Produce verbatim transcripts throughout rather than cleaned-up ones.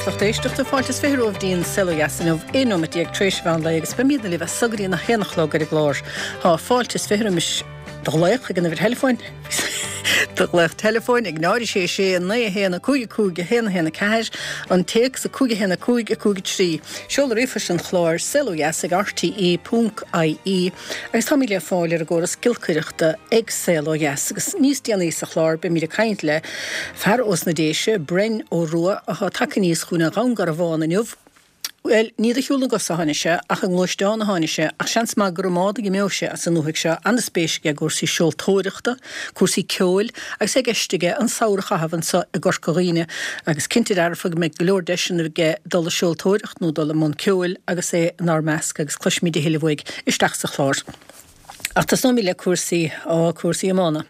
Libh lucht éisteachta fáilte is fiche romhaibh dtí'n Saol Ó Dheas inniu, aon nóiméad déag tar éis mheán lae agus beimidne libh as so go dtí a haon a chlog ar an gclár. Tá fáilte is fiche roimis do ghlaoch ag an uimhir theileafóin do ghlaoch teileafóin ag náid sé sé naoi a haon a cúig a cúig a haon a haon a ceathair, an téacs a cúig a haon a cúig a cúig a trí. Seoladh ríomhphoist an chláir saol ó dheas ag rte ponc ie agus táimid le fáil ar an gcóras giolcaireachta ag Saol Ó Dheas agus níos déanaí sa chlár beimid ag caint le fear ós na Déise, Bren Ó Rua, atá tagtha aníos chugainn ó Dhún Garbhán inniu. Bhuel, ní de shiúl na gcos a tháinig sé, ach i ngluaisteán a tháinig sé, ach seans maith gur i mbád a d'imeodh sé as an ndúthaigh seo, an-spéis aige i gcúrsaí seoltóireachta, cúrsaí ceoil, agus é i gceist aige an samhradh a chaitheamh anseo i gCorca Dhuibhne, agus cinnte dearfa go mbeidh go leor deiseanna aige dul ag seoltóireacht nó dul i mbun ceoil agus é inár measc agus cloisfimid a thuilleadh uaidh isteach sa chlár. Ach tosnóimid le cúrsaí, á, cúrsaí iomána.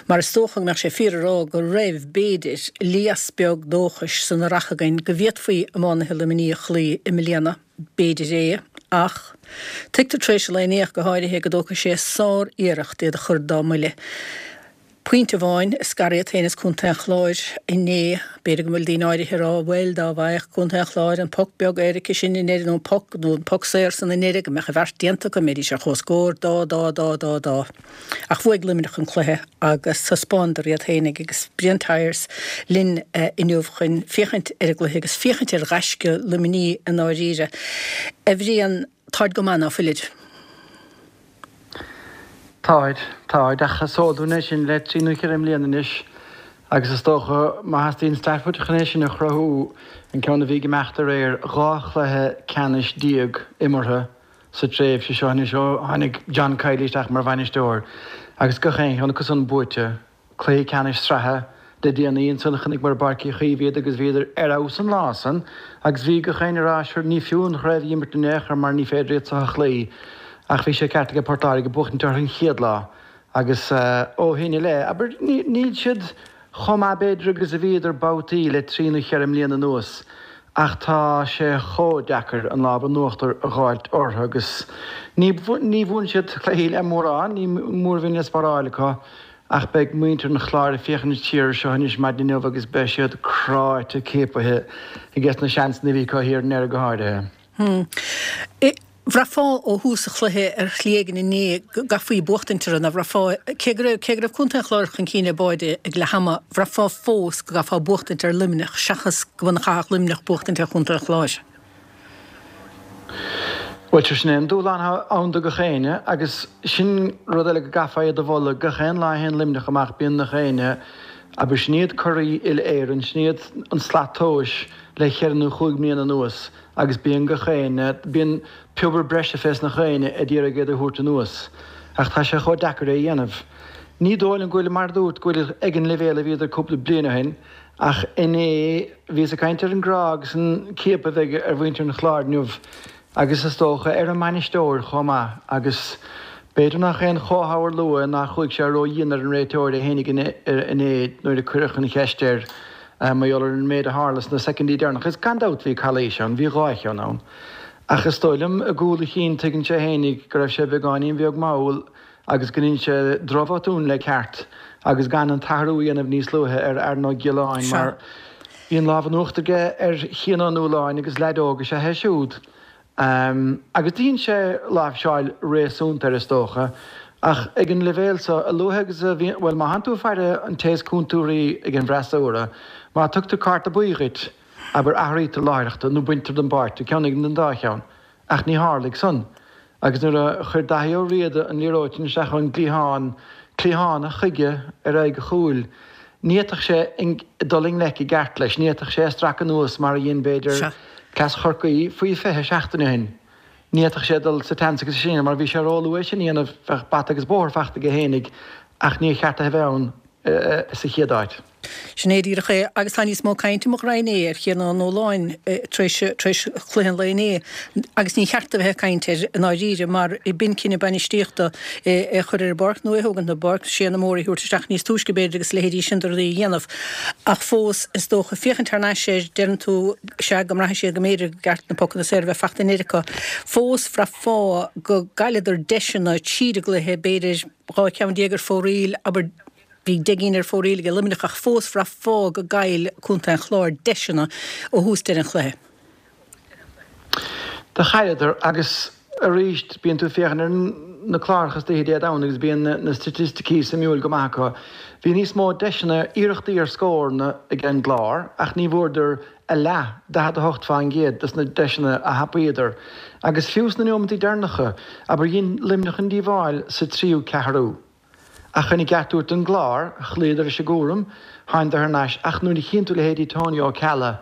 Mar is dócha go mbeadh sé fíor a rá go raibh, b'fhéidir, lios beag dóchais san earrach againn go bhféadfaí iománaithe Luimnigh a chloí i mbliana. B'fhéidir é, ach tuigtear tar éis an lae inné ach go háirithe go dtógfaidh sé sár-iarracht iad a chur dá mbuille. Pointe amháin a scar iad féin is Contae an Chláir inné. B'fhéidir go bhfuil daoine áirithe ag rá, bhuel, dá bhfaigheadh Contae an Chláir an poc beag éirice sin i ndeireadh nó an poc nó an poc saor san i ndeireadh go mbeadh an bheart déanta acu, mbeidís ar comhscór, dá, dá, dá, dá, dá. Ach bhuaigh Luimneach an cluiche agus thaispeánadar iad féinig agus Brian Tyers linn inniu chun féachaint ar an gcluiche agus féachaint ar ghaisce Luimnigh i ndáiríre. A Bhriain, táid go maith ná fuilid? Táid, táid, ach is eol dúinn é sin le trí nó ceithre mbliana anois agus is dócha, má theastaíonn Stafford chun é sin a chruthú, an ceann a bhí ag imeacht aréir, dhá chluiche ceannais déag imeartha sa tréimhse seo anois ó tháinig John Kiely isteach mar bhainisteoir agus gach aon cheann acu san buaite. Cluiche ceannais sraithe le déanaí ansan chonaiceamar i bPáirc Uí Chaoimh iad agus bhíodar ar fheabhas an lá san agus bhí gach éinne ag rá sure ní fiú an chraobh a imirt in aon chor mar ní féidir iad seo a chloí ach bhí sé ceart aige Port Láirge buachtaint orthu an chéad lá agus ó shin i leith, abair, níl siad chomh maith b'fhéidir agus a bhíodar babhtaí le trí nó cheithre mbliana anuas ach tá sé chomh deacair an lámh in uachtar a dh'fháilt orthu agus ní ní bhuann siad cluichí le mórán, ní mór a bhíonn le spáráil acu. Ach beidh muintir an Chláir ag féachaint siar air seo anois maidin inniu agus beidh siad cráite ciapaithe ages na seansanna a bhí acu thiar i ndeireadh go háirithe. Bhraithfeá ó thús an chluiche ar shlí éigin inné go gcaithfí buachtaint orthu, ná bhraithfeá, cé go raibh, cé go raibh Contae an Chláir chun cinn ar báide ag leath ama, bhraithfeá fós go gcaithfeá buachtaint ar Luimneach seachas go mba chaithfeadh Luimneach buachtaint ar Chontae an Chláir. Bhuel, sure, sin é an dúshlán atá ann do gach éinne agus sin rud eile go gcaithfeá iad a mholadh, gach aon lá a théann Luimneach amach bíonn nach éinne, abair, sin iad curaidh uile-Éireann, sin iad an slat tomhais le cheithre nó chúig mbliana anuas agus bíonn gach éinne, bíonn piobar breise fés nach éinne ag iarraidh iad a thabhairt anuas. Ach tá sé chomh deacair é a dhéanamh. Ní dóigh liom go bhfuil, mar a dúirt, go bhfuil ag an leibhéal a bhíodar cúpla bliain ó shin ach inné bhíos ag caint ar an gcrá agus an ciapadh a bheidh ar mhuintir an Chláir inniu. Agus is dócha ar an mbainisteoir chomh maith, agus b'fhéidir nach aon chomhthamharlú é nár chuaigh sé ró-dhian ar an réiteoir é fhéinig inné nuair a cuireadh an cheist air mar gheall ar an méid a tharla sna soicindí deireanacha. Is gan dabht bhí calaois ann, bhí dhá cheann ann. Ach is dóigh liom i gcúl a chinn tuigeann sé fhéinig go raibh sé beagáinín bheag mall agus go ndein sé drochbhotún le ceart agus gan an t-athrú a dhéanamh níos luaithe ar Aaron Ó Giolláin mar bhí an lámh in uachtar aige ar Chian Ó Nualláin agus leaid óg is ea é siúd. Agus dhein sé láimhseáil réasúnta air is dócha ach ag an leibhéal so, a luaithe agus a bhíonn, bhuel má thánn tú ag faire an té is cúntúirí ag an bhfreasúra, má tugtar cárta buí dhuit, abair athraítear láithreach tú nó baintear den bpáirc tú, ceann éigin den dá cheann. Ach ní tharlaigh san. Agus nuair a chuir Daithí Ó Riada an liathróid sin isteach ón gcliathán, cliathánach chuige ar aghaidh a chúil, ní fhéadfadh sé dul i ngleic i gceart leis, ní fhéadfadh sé é a stracadh anuas mar a dhein, b'fhéidir, cleas Chorcaí faoi fiche seachtain ó shin. Ní fhéadfadh sé dul sa tseans agus sin, mar bhí sé róluath é sin a dhéanamh, bheadh bata agus bóthar fachta aige fhéinig, ach níor cheart é a bheith ann sa chéad áit. Sin é díreach é, agus tá níos mó cainte i mo ghreim é ar Chian Ó Nualláin tar éis tar éis chluiche an lae inné, agus ní cheart a bheith ag caint air i ndáiríre, mar b'in cinneadh bainistíochta é a chur ar an bpáirc nó é a thógaint den bpáirc, Séanna Mór a thabhairt isteach níos túisce b'fhéidir agus a leithéidí sin de rudaí a dhéanamh. Ach fós, is dócha, féachaint thar n-ais air, deireann tú, sea, go mbraitheann siad go mb'fhéidir gur cheart na pocanna saora a bheith fachta in air acu. Fós, bhraithfeá go gcailleadar deiseanna tríd an gcluiche, b'fhéidir dhá cheann déag ar fóraoil, abair, Bhí deich gcinn ar fóraoil ag Luimneach ach fós bhraith fáth go gcaill Contae an Chláir deiseanna ó thús deireadh an chluiche. Do chailleadar agus arís bíonn tú ag féachaint ar na cláracha istoíche Dé Domhnaigh agus bíonn na staitisticí suimiúil go maith acu. Bhí níos mó deiseanna, iarrachtaí ar scóranna ag an gClár ach ní bhfuaireadar a leath, daichead a hocht faoin gcéad, des na deiseanna a thapaíodar. Agus fiú sna neomantaí deireanacha, abair dhein Luimneach an díobháil sa tríú ceathrú. Ach chun an ceart a thabhairt don gClár, chloíodar leis an gcúram, thánadar thar n-ais ach nuair a chíonn tú leithéidí Tony Ó Ceallaigh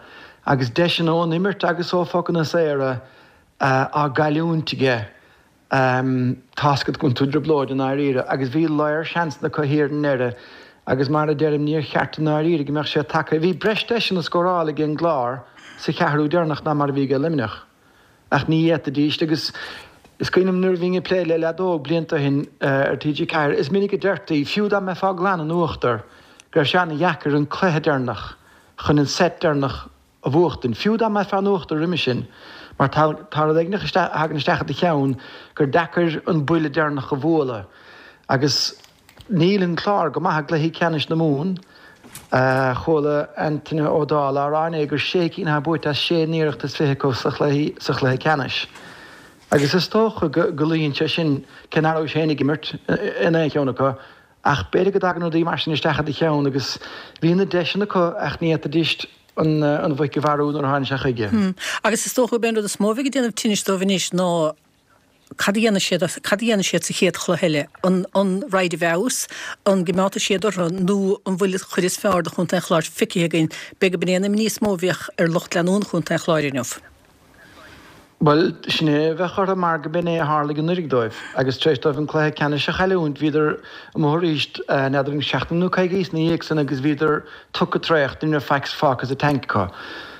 agus deiseanna ón imirt agus ó phocanna saora á gcailliúint aige, tá's agat go bhfuil tú i dtrioblóid i ndáiríre. Agus bhí léar seansanna acu thiar i ndeireadh agus mar a deirim níor cheart i ndáiríre go mbeadh sé tagtha. Bhí breis deiseanna scórála ag an gClár sa cheathrú deireanach ná mar a bhí ag Luimneach. Ach ní fhéadfaidíst agus is cuimhin liom nuair a bhínn ag plé le leadóg blianta ó shin ar T G ceathair, is minic a deirtí, fiú dá mbeifeá glan in uachtar, go raibh sé an-dheacair an cluiche deireanach chun an set deireanach a bhuachtaint, fiú dá mbeifeá in uachtar roimhe sin, mar tá tá rud éigin a thagann isteach i do cheann gur deacair an buille deireanach a bhualadh. Agus níl an Clár go maith i gcluichí ceannais na Mumhan. Chuala Antaine Ó Dálaigh á rá inné gur sé cinn atá buaite as sé n-iarracht is fiche acu sa chluiche ceannais. Agus is dócha go luíonn sé sin, cé nach rabhais féin ag imirt in aon cheann acu, ach b'fhéidir go dtagann rudaí mar sin isteach i do cheann agus bhí na deiseanna acu ach ní fhéadfaidís an mhuic a mharú nuair a tháinig sé chuige. Agus is dócha gurb é an rud is mó a bheidh ag déanamh tinnis dóibh anois ná cad a dhéanfaidh siad, cad a dhéanfaidh siad sa chéad chluiche eile? An, an raghaid i bhfeabhas? An gcoimeádfaidh siad orthu nó an bhfuil an chuid is fearr de Chontae an Chláir feicthe againn? B'fhéidir gurb in é an imní is mó a bheadh ar lucht leanúna Chontae an Chláir inniu. Bhuel, sin é a bheadh orthu mar go b'in é a tharlaigh anuraidh dóibh agus tar éis dóibh an cluiche ceannais a chailliúint bhíodar amuigh arís, n'fheadar an seachtain nó coicís ina dhiaidh san agus bhíodar tugtha traochta, ní raibh faic fágtha sa tank acu.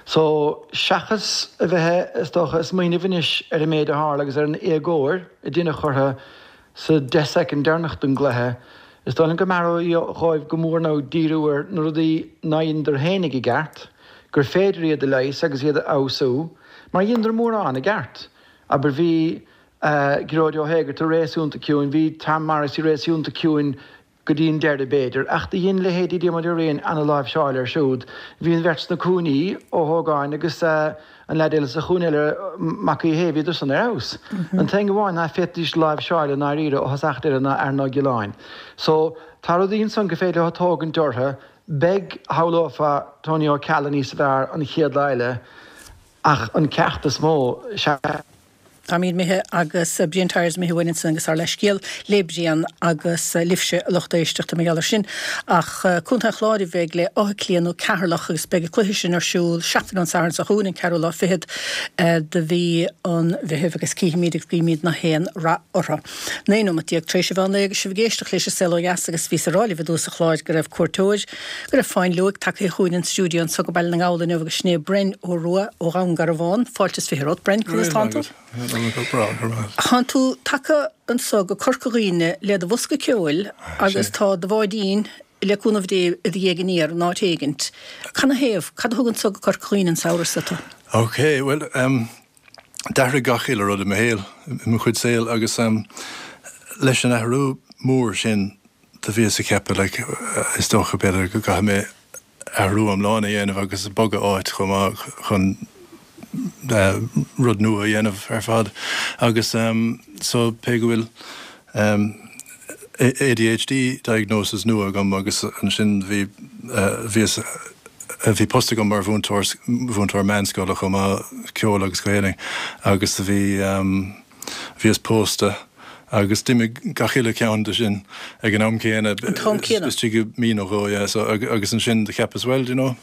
So, seachas a bheith, is dócha, ag smaoineamh anois ar an méid a tharla agus ar an éagóir a deineadh orthu sa deich soicind deireanach den gcluiche, is dóigh liom go mb'fhearr dhóibh go mór ná díriú ar na rudaí nár dheineadar féinig i gceart, gur féidir iad a leigheas agus iad a fheabhsú, mar dheineadar mórán i gceart. Abair, bhí Gearóid Ó hÉigeartaigh réasúnta ciúin, bhí Tom Morrissey réasúnta ciúin, go dtí an deireadh, b'fhéidir, ach do dhein leithéidí Diarmuid Ó Riain ana-láimhseáil air siúd. Bhí an bheirt sna cúinní, Ó hÓgáin agus an leaid eile sa chúinne eile, Mac Aodha Shéimh, bhíodar san ar fheabhas. An t-aon amháin ná féadfaidís láimhseáil i ndáiríre ó thosach deireadh ná Aaron Ó Giolláin. So, tá rudaí ansan gur féidir leo tógaint orthu. Beidh, shamhlófá, Tony Ó Ceallaigh níos fearr an chéad lá eile ach an ceacht is mó, sea, Táimid imithe agus Brian Tyers imithe uainn ansin agus ár leithscéal le Brian agus libhse a lucht éisteachta mar gheall air sin. Ach Contae an Chláir a bheidh le Áth Cliath nó Ceatharlach agus beidh an cluiche sin ar siúl seachtain ón Satharn seo chugainn, an ceathrú lá fichead de mhí an Mheithimh agus cífimid agus guímid nach aon rath orthu. Naoi nóiméad déag tar éis an mheán lae agus sibh ag éisteacht leis An Saol Ó Dheas agus bhíos ag rá libh i dtús an chláir go raibh cuairteoir, go raibh fáinleoig tagtha chugainn an stiúideo anseo go Baile na nGall inniu agus sin é Bren Ó Rua ó Dhún Garbhán. Fáilte is fiche romhat, Bren, conas tánn tú? Tánn tú tagtha anso go Corca Dhuibhne le do bhosca ceoil agus tá do bháidín, le cúnamh Dé, i do dhiaidh aniar in áit éigint. Canathaobh? Cad a thug anso go Corca Dhuibhne an samhradh so tú? Ok, bhuel, em, d'athraigh gach uile rud i mo shaol, i mo chuid saoil agus, em, leis an athrú mór sin do bhíos ag ceapadh, like, is dócha, b'fhéidir, go gcaithfidh mé athrú iomlán a dhéanamh agus bogadh áit chomh maith chun rud nua a dhéanamh ar fad agus so pé go bhfuil A D H D diagnosis nua agam agus ansin bhí bhíos bhí post agam mar mhúinteoir mhúinteoir meánscoile chomh maith ceol agus Gaelainn agus bhí Bhíos pósta agus d'imigh gach uile cheann de sin ag an am céanna, An t-am céanna? istigh i mí nó dhó, yeah. So, agus ansin do cheapas, well, do you know,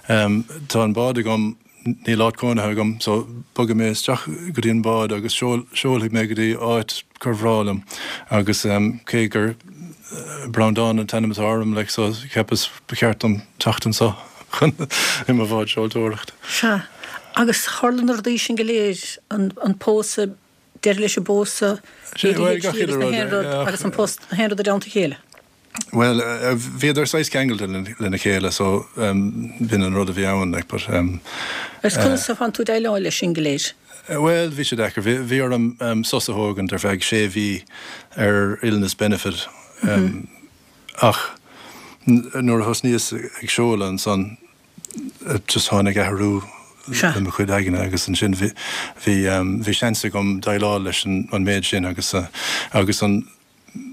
tá an bád agam, níl áit cónaithe agam, so bogfaidh mé isteach go dtí an bád agus seolfaidh mé go dtí áit gur bhreá liom. Agus cé gur Breandán an t-ainm atá orm, like, so cheapas ba cheart dom teacht anso chun i mo bhád seoltóireachta. Sea. Agus tharla na rudaí sin go léir, an pósadh, deireadh leis an bpósadh, A D H D agus na haon rud agus an post, na haon rud i dteannta a chéile. Bhuel, bhíodar saghas ceangailte lena chéile so b'in an rud a bhí ann like but. Agus conas a thánn tú ag déileáil leis sin go léir? Bhuel, bhí sé deacair. Bhí orm sos a thógaint ar feadh sé mhí ar illness benefit ach. nuair a thosnaíos ag seoladh ansan just tháinig athrú i mo chuid aigne agus ansin bhí bhí bhí seans agam déileáil leis an an méid sin agus agus an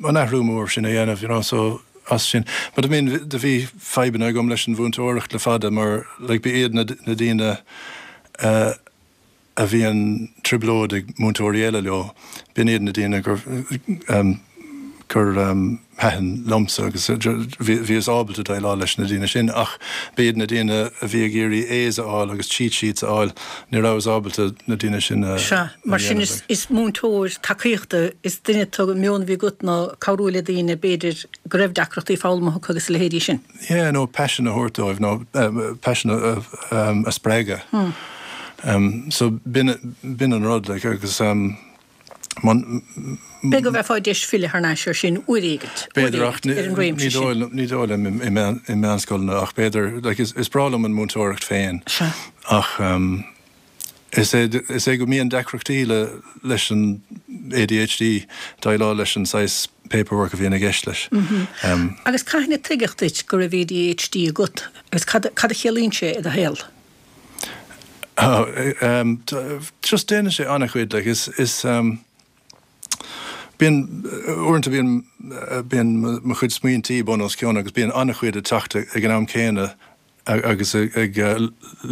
an athrú mór sin a dhéanamh you know so as sin. But I mean do bhí fadhbanna agam leis an mhúinteoireacht le fada mar like ba iad na na daoine uh, a bhíonn trioblóid ag múinteoirí eile leo, b'in iad na daoine gur um, gur um, thaitin liomsa agus bhíos ábalta déileáil leis na daoine sin ach b'iad na daoine a bhí ag iarraidh A's a fháil agus cheat sheets a fháil ní rabhas ábalta na daoine sin a Sea, mar sin is, is múinteoir tacaíochta is duine tú meon bhí agat ná cabhrú le daoine b'fhéidir go raibh deacrachtaí foghlama acu agus a leithéidí sin. Yeah, nó passion a thabhairt dóibh nó uh, passion a, um, a spreagadh. Hmm. Um, so b'in b'in an rud like, agus um, man, B'fhéidir go bhfaighfeá deis filleadh thar n-ais air sin uair éigint. B'fhéidir ach ní dóigh liom i meánscoileanna ach b'fhéidir like, is, is breá liom an múinteoireacht féin. Ach um, is é, is é go mbíonn deacrachtaí le leis an ADHD déileáil leis an saghas paperwork a bhíonn i gceist leis. Mm -hmm. um, Agus cathain a tuigeadh duit go raibh ADHD agat agus cad, cad a chiallaíonn sé i do shaol? Oh, um, just déanann sé an-chuid like, is, is um, Bíonn uaireanta bíonn bíonn mo chuid smaointí bun os cionn agus bíonn an-chuid ag teacht ag an am céanna agus ag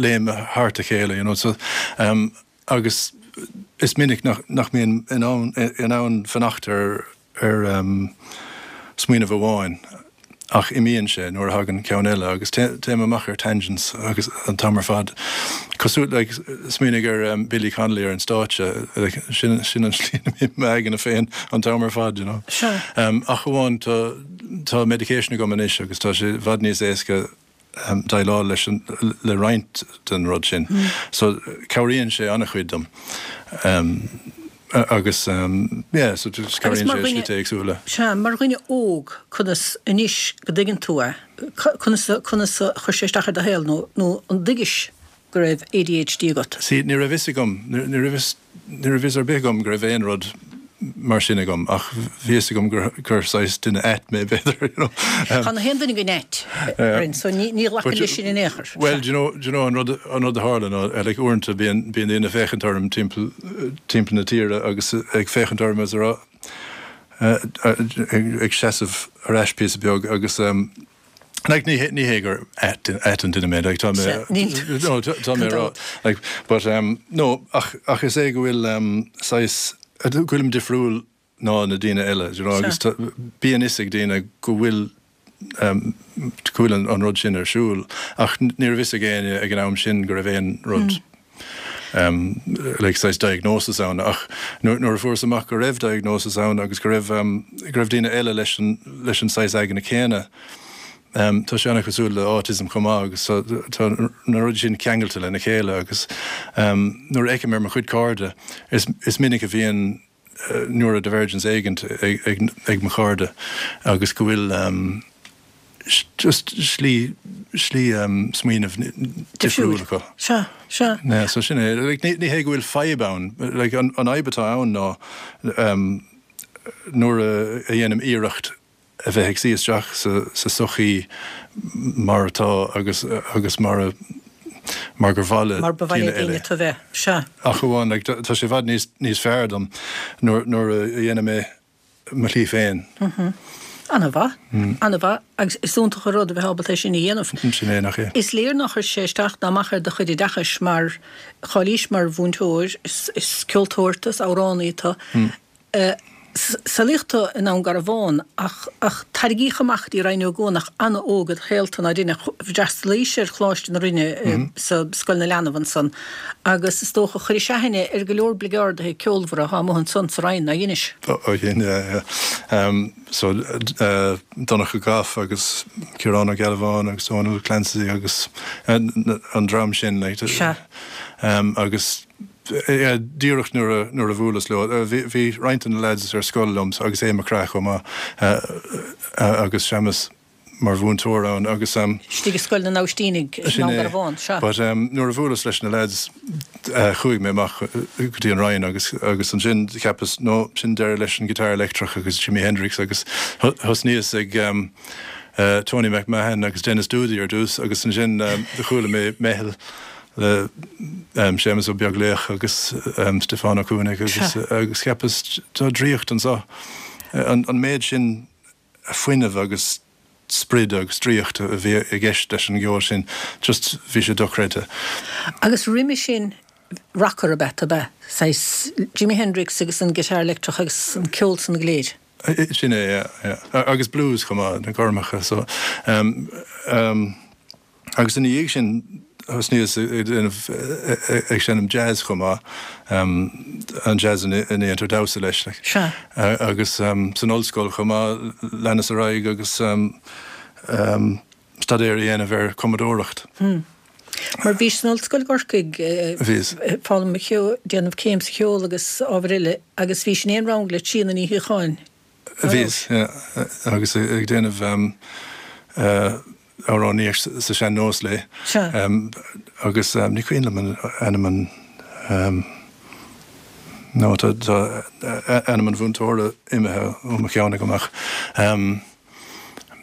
léim thart a chéile you know so um, agus is minic nach, nach mbím in ann in ann fanacht ar ar um, smaoineamh amháin ach imíonn sé nuair a thagann ceann eile agus téim amach ar tangents agus an t-am ar fad. Cosúil like, smaoinigh ar um, Billy Connolly ar an stáitse like, sin, sin an slí m'aigne féin an t-am ar fad. You know? Sure. Um, ach amháin tá, tá medication agam anois agus tá sé i bhfad níos éasca um, déileáil leis an, le roinnt den rud sin. Mm. So cabhraíonn sé an-chuid dom. Um, agus um, yeah, so just cabhraíonn sé slite éagsúla. Sea, mar dhuine óg conas anois go dtuigeann tú é, conas conas a chuir sé isteach ar do shaol nó nó an dtuigis go raibh ADHD agat? Sí, ní raibh fhios agam, ní raibh fhios ní raibh fhios ar bith agam go raibh aon rud mar sin agam ach bhí fhios agam gur gur saghas duine ait mé b'fhéidir you know. Um, Tá na haon duine againn ait Rin, so ní ní ghlacann leis sin in aon chor. Well, do you know, do you know an rud an rud a tharla ná like uaireanta bíonn bíonn daoine ag féachaint orm timpeall timpeall na tíre agus ag féachaint orm is a rá ag ag seasamh ar ais píosa beag agus um, Like ní ní hé gur ait ait an duine mé like tá mé no tá mé rá like but um no ach ach is é go bhfuil um saghas go bhfuilim difriúil ná na daoine eile you know agus bíonn fhios ag daoine go bhfuil um go bhfuil an, an rud sin ar siúl ach ní raibh fhios ag éinne ag an am sin go raibh aon rud mm. um, like saghas diagnosis ann ach nuair a fuaireas amach go raibh diagnosis ann agus go raibh um, go raibh daoine eile leis an leis an saghas aigne céanna Um, tá sé an-chosúil le autism chomh maith agus tá na rudaí sin ceangailte lena chéile agus um, nuair a fheicim ar mo chuid cairde is, is minic a bhíonn uh, neurodivergence éigint ag, ag, ag mo chairde agus go bhfuil um, just slí slí um, smaoineamh difriúil acu. Sea, sea. Yeah, so sin é like, ní, ní hé go bhfuil fadhb ann like, an, an fhadhb atá ann ná um, nuair a, a dhéanaim iarracht a bheith ag suí isteach sa, sa sochaí mar atá agus agus mar a mar gur mhaith le Mar ba mhaith le daoine tú bheith. Sea. Ach amháin like, tá sé i bhfad níos níos fearr dom nuair nuair a dhéanaim mé mo shlí féin. Mm -hmm. An-mhaith, mm. an-mhaith agus is iontach an rud a bheith ábalta é sin a dhéanamh. Sin é nach é. Is léir nár chuir sé isteach ná amach ar do chuid oideachais mar cháilís mar mhúinteoir, is, is ceoltóir tú, is amhránaí tú. Mm. Uh, Saolaíodh tú i nDún Garbhán ach ach tarraingíodh amach go dtí Rinn Ó gCuanach an-óg i do shaol tú, nár deineadh? D'fhreastalaís ar Choláiste na Rinne sa Scoil na Leanbh ansan agus is dócha chuiris aithne ar go leor bligeardaithe ceolmhara atá amuigh ansan sa Rinn, nár dheinis? Ó dhein, yeah, yeah. So Donncha Gough agus Ciarán Ó Gealbháin agus Dónal Clancy agus an dream sin like. Sea. Agus Díreach nuair a bhuaileas leo, bhí roinnt de na lads ar scoil liom agus Aodh Mac Craith chomh maith agus Séamus mar mhúinteoir ann agus. Istigh i Scoil na nAibhistínigh i nDún Garbhán, sea. But nuair a bhuaileas leis na lads chuaigh mé amach go dtí an Rinn agus agus ansin cheapas no sin deireadh leis an guitar leictreach agus Jimi Hendrix agus thosnaíos ag Tony McMahon agus Denis Doody ar dtús agus ansin do chuala mé Meitheal le Séamus Ó Beaglaoich agus Stiofán Ó Cuanaigh agus agus cheapas tá draíocht anseo. An an méid sin fuinnimh agus sprid agus draíocht a bhí i gceist leis an gceol sin, just bhí sé dochreidte. Agus roimhe sin rocker ab ea tú, ab ea? Saghas Jimi Hendrix agus an guitar leictreach agus an ceol san go léir. Sin é, yeah, yeah. Agus blues chomh maith, na gormacha, so um, um, agus ina dhiaidh sin thosnaíos ag déanamh ag seinm jazz chomh maith, um, an jazz a ndéantar damhsa leis, like. Sea. Agus um, san ollscoil chomh maith leanas ar aghaidh agus um, um, staidéar a dhéanamh ar cumadóireacht. Hmm. Mar bhís san ollscoil i gCorcaigh, Bhíos. foghlaim cheoil, déanamh céim sa cheol agus ábhair eile agus bhís in aon rang le Tríona Ní Shíocháin. Bhíos, yeah, agus ag déanamh um, uh, amhránaíocht sa sean-nós léi. Sea. Um, agus um, ní cuimhin liom an ainm an um, no, tá, tá ainm an mhúinteora imithe ó mo cheann agam ach um,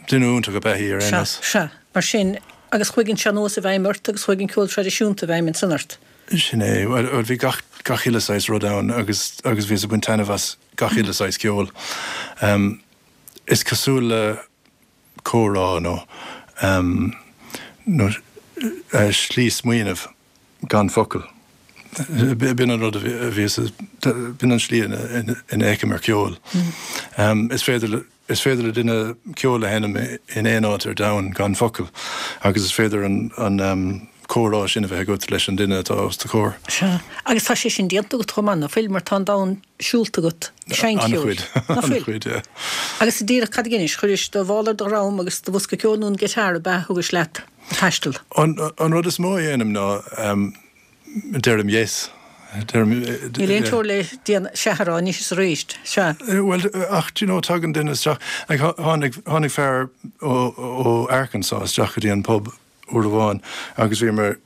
duine iontach ab ea í ar aon Sea, nós. sea. Mar sin, agus chuaigh an sean-nós i bhfeidhm ort agus chuaigh an ceol traidisiúnta i bhfeidhm ansan ort. Sin é, bhuel, bhí gach, gach uile saghas rud ann agus, agus bhíos ag baint taitneamh as gach uile saghas ceoil. Um, is cosúil le comhrá nó, um, nó uh, slí smaoineamh gan focal. B'in an rud a bhí, b'in an slí ina bhfeicim ar ceol. Um, is féidir le, is féidir le duine ceol a sheinm in aon áit ar domhan gan focal, agus is féidir an, an um, comhrá sin a bheith agat leis an duine atá os do chomhair. Sea. Agus tá sé sin déanta agat chomh maith, ná fuil, mar tá an domhan siúlta agat ag seinnt ceoil. An-chuid. Ná fuil? An-chuid, yeah. Agus díreach cad a dheinis, chuiris do mhála ar do dhroim agus do bhosca ceoil nó an guitar ab ea a thugais leat ag taisteal? An, an rud is mó a dhéanaim ná um, deirim yes. Deirim, Níl aon teora le déan sea a rá anois is arís. Sea. Well, ach, do you know, tagann duine isteach, like, tháinig, tháinig fear ó, ó Arkansas isteach go dtí an pub uair amháin agus bhíomar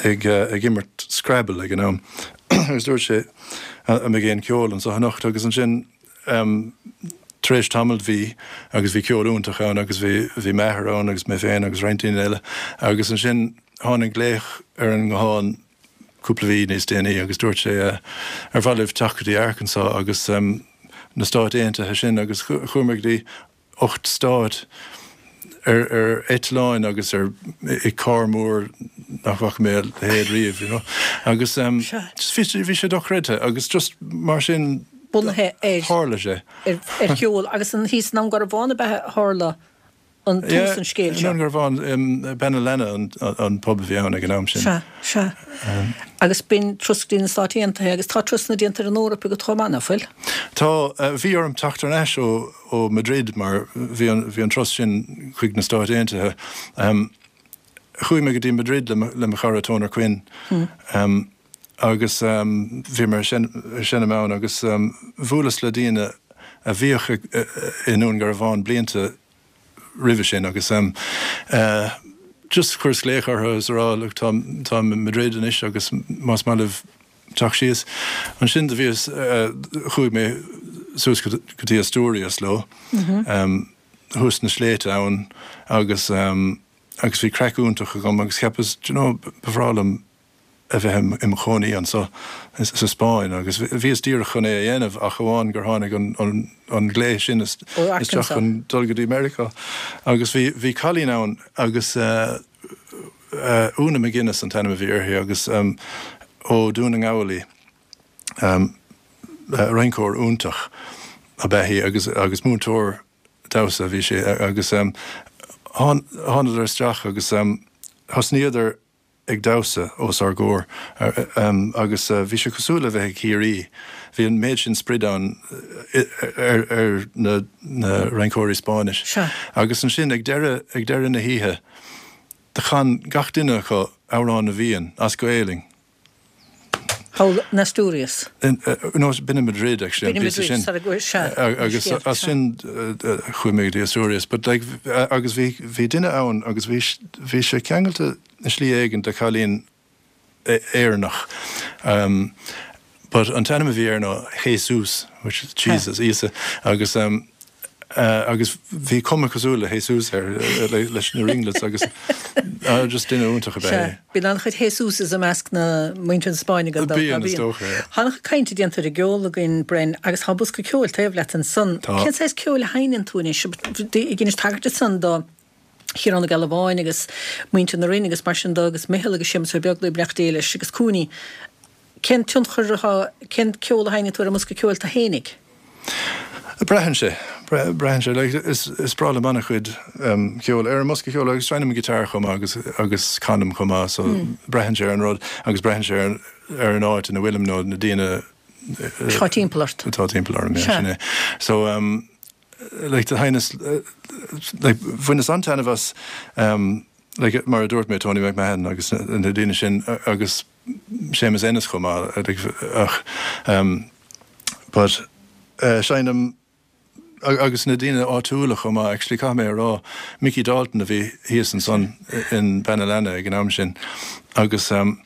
ag, uh, ag imirt Scrabble ag an am. Agus dúirt sé an mbeidh aon ceol anseo anocht agus ansin um, tar éis tamaill bhí agus bhí ceol iontach ann agus bhí, bhí m'athair ann agus mé féin agus roinnt daoine eile agus ansin tháinig glaoch ar an nguthán cúpla mhí níos déanaí agus dúirt sé uh, ar mhaith libh teacht go dtí Arkansas agus um, na Stáit Aontaithe sin agus chuamar go dtí ocht stát ar, ar eitleáin agus ar i carr mór nach bhfaca mé a leithéid riamh, you know. Agus um, just bhí sé, bhí sé dochreidte agus just mar sin bunaithe ar tharla sé. ar, ar cheol agus an thíos i nDún Garbhán ab ea a tharla an tús an scéil seo. Dún Garbhán Bean an Leanna an, an pub a bhí ann ag an am sin. Sea, sea. Agus b'in turas go dtí na Stáit Aontaithe agus tá turasanna déanta ar an Eoraip agat chomh maith, ná fuil? Tá, uh, bhí orm teacht ar ais ó, ó Madrid mar bhí an, bhí an turas sin chuig na Stáit Aontaithe. Um, chuaigh mé go dtí Madrid le, le mo chara Toner Quinn. Hmm. Um, agus um, bhí mar sin, sin ann agus um, bhuaileas le daoine a bhíodh i nDún Garbhán blianta roimhe sin agus um, uh, just chuireas glaoch orthu is a rá look, tá tá Madrid anois agus más maith libh teacht síos. Ansin do bhíos uh, chuaigh mé suas go dtí Asturias leo Mm -hmm. um, thuas na sléibhte ann agus um, agus bhí craic iontach agam agus cheapas you know, ba bhreá liom a bheith im chónaí anseo sa Spáinn agus bhíos díreach chun é a dhéanamh ach amháin gur tháinig an, an, an glao sin isteach chun dul go dtí Meiriceá. Agus bhí, bhí cailín ann agus uh, uh, Úna McGuinness an t-ainm a bhí uirthi agus um, ó Dún na nGall í um, uh, rinceoir iontach ab ea í agus, agus múinteoir damhsa bhí sé agus um, thánadar isteach agus um, thosnaíodar ag damhsa os ár gcomhair um, agus uh, bhí sé cosúil le bheith i Ciarraí. Bhí an méid sin sprid ann ar, ar na, na rinceoirí Spáinnis. Sea. Agus ansin ag deireadh ag deireadh na hoíche, do chan gach duine acu Amhrán na bhFiann as Gaelainn. Thall in Asturias. In, uh, no, b'in in Madrid actually. B'in in Madrid, sorry, sea, Agus as sin chuaigh mé go dtí Asturias, but like, agus bhí bhí duine ann agus bhí bhí sé ceangailte i slí éigin de chailín Éireannach. Um, but an t-ainm a bhí air ná Jesus, which is Jesus, Íosa, agus um, Agus bhí cuma cosúil le Jesus air leis na ringlets agus just duine iontach ab ea é. Bíonn an-chuid Jesuses i measc na muintir na Spáinne gan dabht. Bíonn, is dócha, yeah. Tá an-chuid cainte déanta ar an gceol againn, Bren, agus tá bosca ceoil taobh leat ansan. Tá. Cén saghas ceoil a sheinneann tú anois? Ag tagairt ansan do Chiarán Ó Gealbháin agus muintir na Rinne agus mar sin de agus Micheál agus Séamus Ó Beaglaoich, beannacht Dé leis, agus Cooney. Cén tionchar atá, cén ceol a sheinneann tú ar an mbosca ceoil tú fhéinig? Braitheann sé. Braitheann sé. Like, is, is breá liom an-chuid um, ceoil ar an mbosca ceoil agus seinnim an guitar chomh maith agus, agus canaim chomh maith, so mm. braitheann sé ar an rud agus braitheann sé ar, ar an áit ina bhfuilim nó na daoine Atá timpeall ort. Atá timpeall orm, yeah, sin é. So, um, like, do sheinneas, like, bhaineas an-taitneamh as, um, like, mar a dúirt mé, Tony McMahon agus na, na daoine sin agus Séamus Ennis chomh maith, like, ach, um, but, uh, seinnim agus na daoine áitiúla chomh maith, actually caithfidh mé a rá, Mickey Dalton a bhí thíos ansan in Beanalana ag an am sin agus um,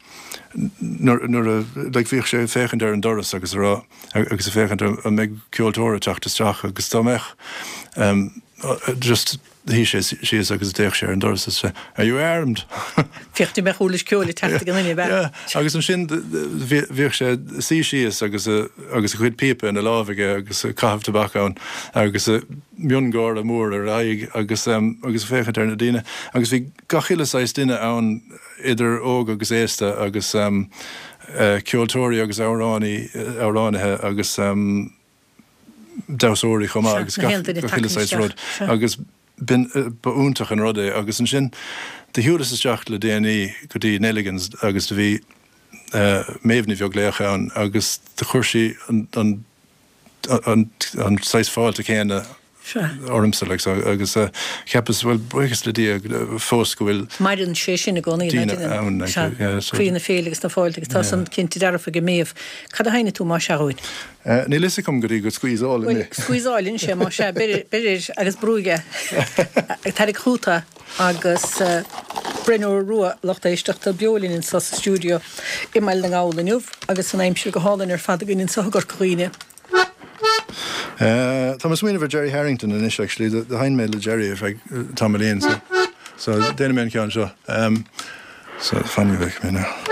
nuair nuair a like, bhíodh sé ag féachaint ar an doras agus a rá agus ag féachaint an mbeidh ceoltóir ag teacht isteach agus dá mbeadh um, just shuigh sé síos agus d'fhéach sé ar an doras is are you armed? Féach an mbeadh uirlis ceoil ag teacht ag an duine, ab ea? Yeah, agus ansin bhíodh sé suí síos agus a agus a chuid píopa ina lámh aige agus caitheamh tobac ann agus a miongháire mór ar a aghaidh agus um, agus féachaint ar na daoine agus bhí gach uile saghas duine ann idir óg agus aosta agus um, uh, ceoltóirí agus amhránaí amhránaithe agus um, damhsóirí chomh maith agus gach uile saghas rud agus b'in ba iontach an rud é agus ansin do shiúlas isteach le déanaí go dtí Nelligan's agus do bhí Méabh Ní Bheaglaoich ann agus do chuir sí an an an an saghas fáilte céanna ormsa like so agus cheapas bhuel buíochas le Dia fós go bhfuil Maireann sé sin i gcónaí daoine ann like yeah so Croí na féile agus na fáilte agus tá san cinnte dearfa ag Méabh. Cad a sheinnfidh tú más ea dhúinn? Níl fhios agam go dtí go squeezeálann mé. Bhuel, squeezeálann sé más ea, beir air agus brúigh é. Tarraing chugat é agus Bren Ó Rua, lucht éisteachta, beo linn anseo sa stiúideo i mBaile na nGall inniu agus an aimsir go hálainn ar fad againn anseo i gCorca Dhuibhne. Tá mé ag smaoineamh ar Gerry Harrington anois actually, do sheinn mé le Gerry ar feadh tamaillín so so déanfaidh mé an ceann seo. So fan go bhfeicfidh mé now.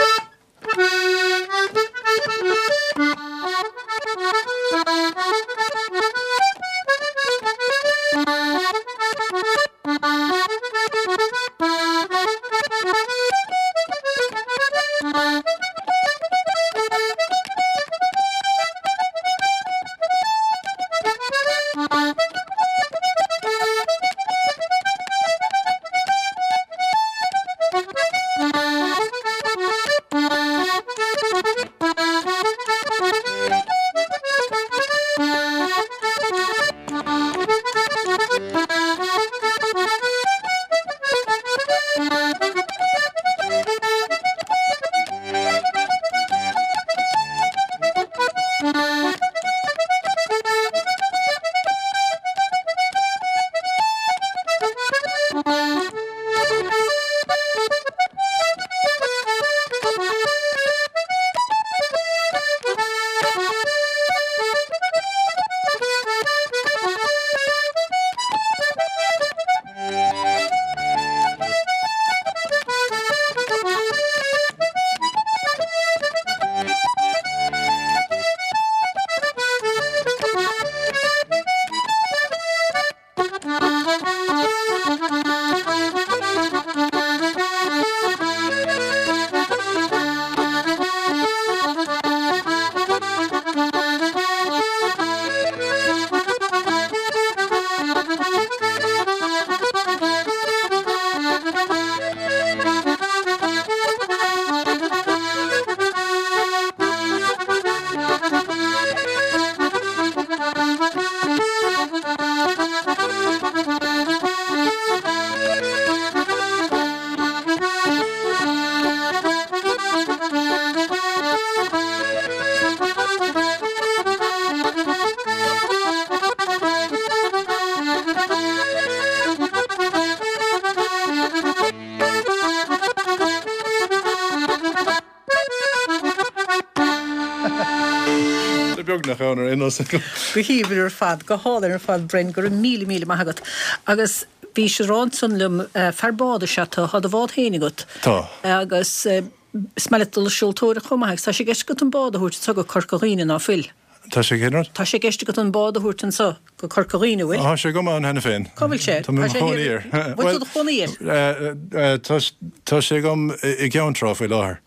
beagnach ann ar aon nós. Go haoibhinn ar fad, go hálainn ar fad Bren, go raibh míle míle maith agat. Agus bhís ag rá ansan liom, fear bád is ea tú, tá do bhád féin agat. Tá. Agus is maith leat dul ag seoltóireacht chomh maith agus tá sé i gceist agat an bád a thabhairt anso go Corca Dhuibhne, ná fuil? Tá sé cén rud? Tá sé i gceist agat an bád a thabhairt anso go Corca Dhuibhne, bhfuil? Tá sé agam ann cheana féin. Cá bhfuil sé? Tá mé i mo chónaí air. Bhfuil tú do chónaí air? Tá sé agam i gCeann Trá faoi láthair.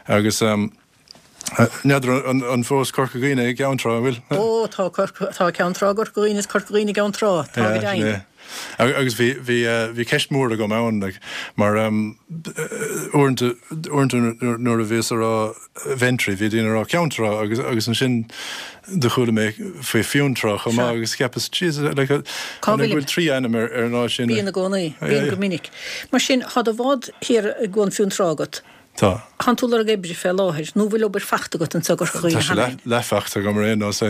Agus n'fheadar an fós Corca Dhuibhne i gCeann Trá, an bhfuil? Ó, tá tá Ceann Trá i gCorca Dhuibhne is Corca Dhuibhne i gCeann Trá, tá go deimhin. Agus bhí bhí bhí ceist mhór agam ann like mar uaireanta uaireanta nuair a bhíos a rá Ventry bhí daoine a rá Ceann Trá agus agus ansin do chuala mé faoi Fionntrá chomh maith agus cheapas jeez like an bhfuil trí ainm ar ar an áit sin? Bíonn i gcónaí, bíonn go minic. Mar sin, tá do bhád thiar i gCuan Fionntrá agat. Tá. Tánn tú ag lorg oibre fé láthair, nó bhfuil obair fachta agat anso i gCorca Dhuibhne Tá sé cheana féin? leath fachta agam ar aon nós.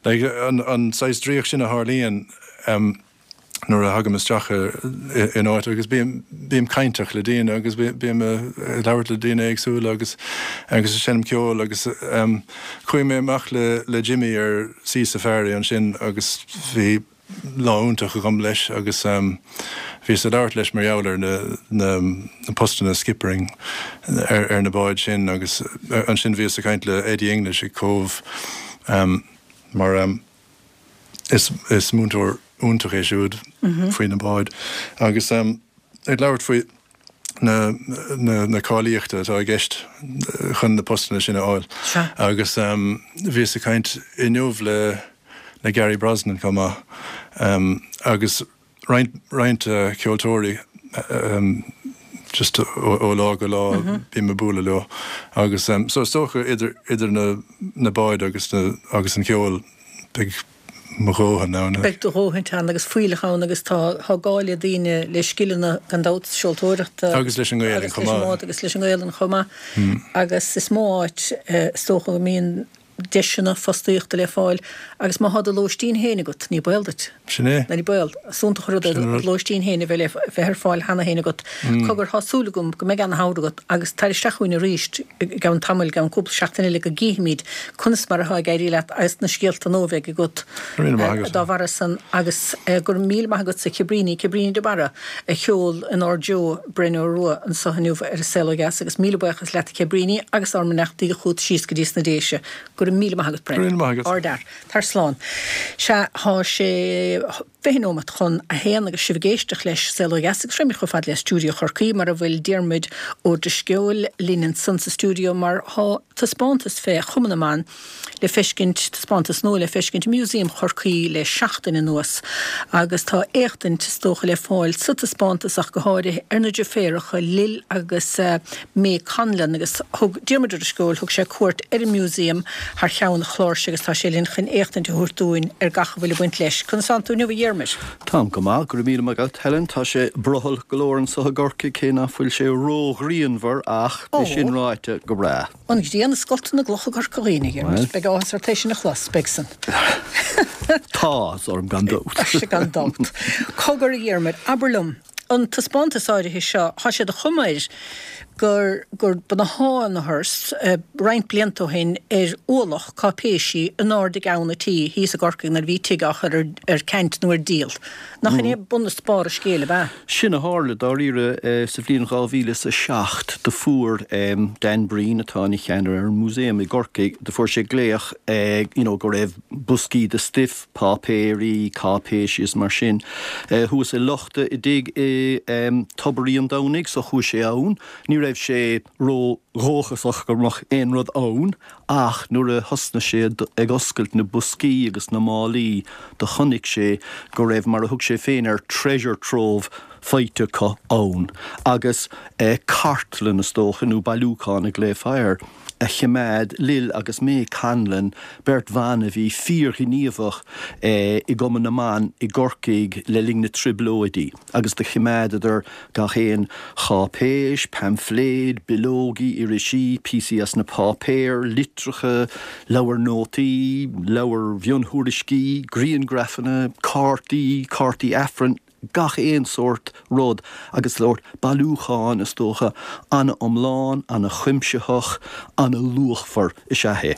Like an an saghas draíocht sin a tharlaíonn nuair a thagaim isteach in áit agus bím bím cainteach le daoine agus bím ag labhairt le daoine éagsúla agus agus ag seinm ceoil agus chuaigh mé amach le le Jimmy ar Sea Safari ansin agus bhí lá iontach agam leis agus bhíos ag labhairt leis mar gheall ar na na postanna skippering ar ar na báid sin agus ansin bhíos ag caint le Eddie English ag Cóbh mar is is múinteoir iontach é siúd faoi na báid agus ag labhairt faoi na na na cáilíochta atá i gceist chun na postanna sin a fháil. Agus bhíos ag caint inniu le le Gary Brosnan chomh maith agus roinnt roinnt ceoltóirí just ó lá go lá bím ag bualadh leo agus so is dócha idir idir na na báid agus na agus an ceol beidh mo dhóthain ann. Beidh do dhóthain ann agus fuílleach ann agus tá tá gá le daoine le scileanna gan dabht seoltóireachta agus leis an nGaelainn chomh maith. Agus leis an nGaelainn chomh maith. Agus is mó áit is dócha go mbíonn deiseanna fostaíochta le fáil agus má thá do lóistín féin agat, ní baol duit. Sin é. Ní baol. Is iontach an rud é do lóistín féin a bheith le bheith ar fáil cheana féin agat. Cogar, thá súil agam go mbeidh ana-shamhradh agat agus tar isteach chugainn arís i gceann tamaill, i gceann cúpla seachtain eile go gcífimid conas mar athá ag éirí leat agus na scéalta nua a bheidh agat dá bharra san agus go raibh míle maith agatsa Cibríní, Cibríní de Barra a sheol inár dtreo Bren Ó Rua anso inniu ar An Saol Ó Dheas agus míle buíochas leat a Chibríní agus ár mbeannachtaí chugat síos go dtí sna Déise. Go raibh míle maith agat Bren. Go raibh míle maith agat. Ardfhear. Tar slán. Sea, thá sé fiche nóimeat chun a haon agus sibh ag éisteacht leis Saol Ó Dheas agus raghaimid chomh fada le stiúideo Chorcaí mar a bhfuil Diarmuid Ó Drisceoil linn ansan sa stiúideo mar thá taispeántas fé Chumann na mBan le feiscint, taispeántas nua le feiscint i Músaem Chorcaí le seachtain anuas agus tá éachtaint is dócha le fáil sa taispeántas ach go háirithe ar na deirféaracha Lil agus May Conlon agus thug Diarmuid Ó Drisceoil, thug sé cuairt ar an Músaem thar cheann an chláir seo agus tá sé linn chun éachtaint a thabhairt dúinn ar gach a bhfuil ag baint leis. Conas tánn tú inniu a Dhiarmuid? Táim go maith, go raibh míle maith agat, Helen. Tá sé brothallach go leor anso i gCorcaigh, cé nach bhfuil sé ró-ghrianmhar ach, é sin ráite, go breá. An ghrian ag scoltadh na gcloch i gCorca Dhuibhne, a Dhiarmuid. Beidh áthas ort é sin a chlos, beidh san. Tá áthas orm gan dabht. Tá sé gan dabht. Cogar, a Dhiarmuid, abair liom, an taispeántas áirithe seo, tá sé de chuma air gur gur ba na thángathas roinnt blianta ó shin ar ualach cáipéisí in airde i gceann an tí thíos i gCorcaigh nuair a bhí tigh á chur ar ceant nó ar díol. Nach in é bun is barr an scéil, ab ea? Sin a tharla, dáiríre, sa bhliain dhá mhíle is a seacht. Do fuair Dan Breen, atá ina cheannaire ar an Músaem i gCorcaigh, do fuair sé glaoch you know go raibh boscaí de stuif, páipéirí, cáipéisí is mar sin, thuas i lochta i dtigh i Tobar Uí an Domhnaigh so chuaigh sé ann. Ní raibh sé ró-dhóchasach go mbeadh aon rud ann ach nuair a thosnaigh sé ag oscailt na boscaí agus na málaí do chonaic sé go raibh mar a thug sé féin air treasure trove faighte acu ann agus cartlann is dócha nó bailiúchán a ghlaofá air. a choimeád Lil agus May Conlon, beirt bhan a bhí fíorghníomhach i gCumann na mBan i gCorcaigh le linn na dTrioblóidí, agus do choimeádadar gach aon cháipéis, paimfléid, bileogaí, irisí, píosaí as na páipéir, litreacha, leabhair nótaí, leabhair mhionthuairiscí, grianghrafanna, cártaí, cártaí Aifrinn. gach aon sórt rud agus sórt bailiúchán, is dócha, an-iomlán, an-chuimsitheach, an-luachmhar is ea é.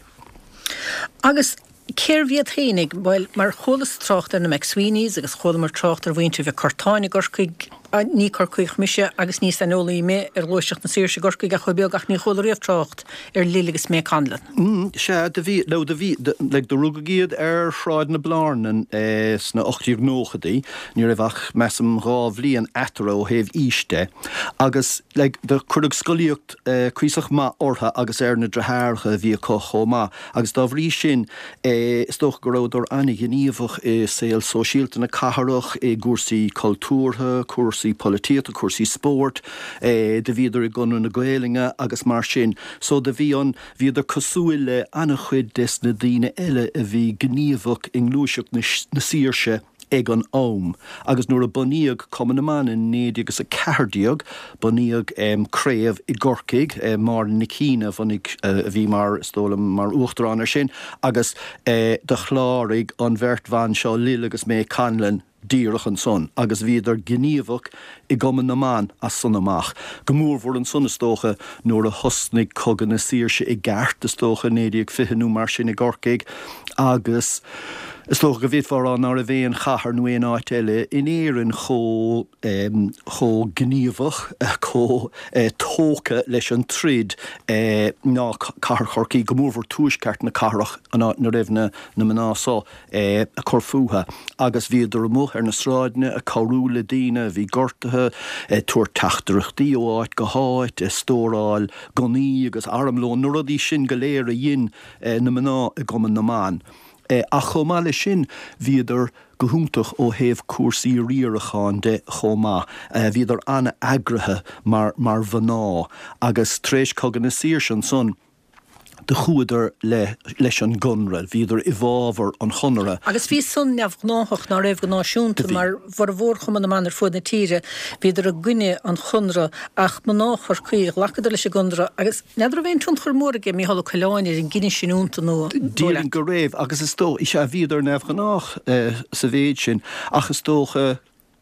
Agus cérbh iad fhéinig? Bhuel, mar chualas trácht ar na McSweeneys agus chualamar trácht ar mhuintir Mhic Curtáin i gCorcaigh, ní Corcaíoch mise agus ní saineolaí mé ar Ghluaiseacht na Saoirse i gCorcaigh ach chomh beag ach ní chuala riamh trácht ar Lil agus May Conlon. Mm, sea, do bhí, nó do bhí, like, do rugadh iad ar Shráid na Blarnan sna ocht déag nóchaidí, ní raibh ach, measaim, dhá bhliain eatarthu ó thaobh aois de, agus, like, do cuireadh scolaíocht cuíosach maith orthu agus ar na deartháireacha a bhí acu chomh maith, agus dá bhrí sin, is dócha go rabhadar an-ghníomhach i saol sóisialta na cathrach, i gcúrsaí cultúrtha, cúrsaí polaitíochta, cúrsaí spóirt, do bhíodar i gConradh na Gaelainne agus mar sin. So do bhí an, bhíodar cosúil le an-chuid des na daoine eile a bhí gníomhach i ngluaiseacht na saoirse ag an am. Agus nuair a bunaíodh Cumann na mBan in naoi déag is a ceathair déag, bunaíodh craobh i gCorcaigh, Máire Nic Cionnaith a bhunaigh, a bhí mar, is dóigh liom, mar uachtarán air sin, agus do chláraigh an bheirt bhan seo, Lil agus May Conlon, díreach ansan agus bhíodar gníomhach i gCumann na mBan as san amach. Go mórmhór ansan is dócha nuair a thosnaigh Cogadh na Saoirse i gceart, is dócha, naoi déag fiche nó mar sin i gCorcaigh agus is dócha go bhféadfá a rá ná raibh aon chathair nó aon áit eile in Éirinn chomh chomh gníomhach, chomh tógtha leis an troid ná cathair Chorcaí, go mórmhór tuaisceart na cathrach, an áit 'na raibh na mná so ag cur fúthu agus bhíodar amuigh ar na sráideanna ag cabhrú le daoine a bhí gortaithe, ag tabhairt teachtaireachtaí ó áit go háit, ag stóráil gunnaí agus armlón, na rudaí sin go léir a dhein na mná i gCumann na mBan. Ach chomh maith leis sin, bhíodar go hiontach ó thaobh cúrsaí riaracháin de chomh maith. Bhíodar an-eagraithe mar mar mhná agus tar éis Cogadh na Saoirse ansan, do chuadar le leis an gConradh, bhíodar i bhfabhar an Chonartha. Agus bhí san neamhghnáthach, ná raibh, go náisiúnta, mar bhformhór Chumann na mBan ar fuaid na tíre, bhíodar i gcoinne an Chonradh, ach mná Chorcaí, ghlacadar leis an gConradh, agus n'fheadar raibh aon tionchar mór aige Mícheál Ó Coileáin ar an gcinneadh sin iontu nó an dóigh Déarfainn leat? go raibh, agus is dóigh, sea, bhíodar neamhghnách sa mhéid sin, ach is dócha,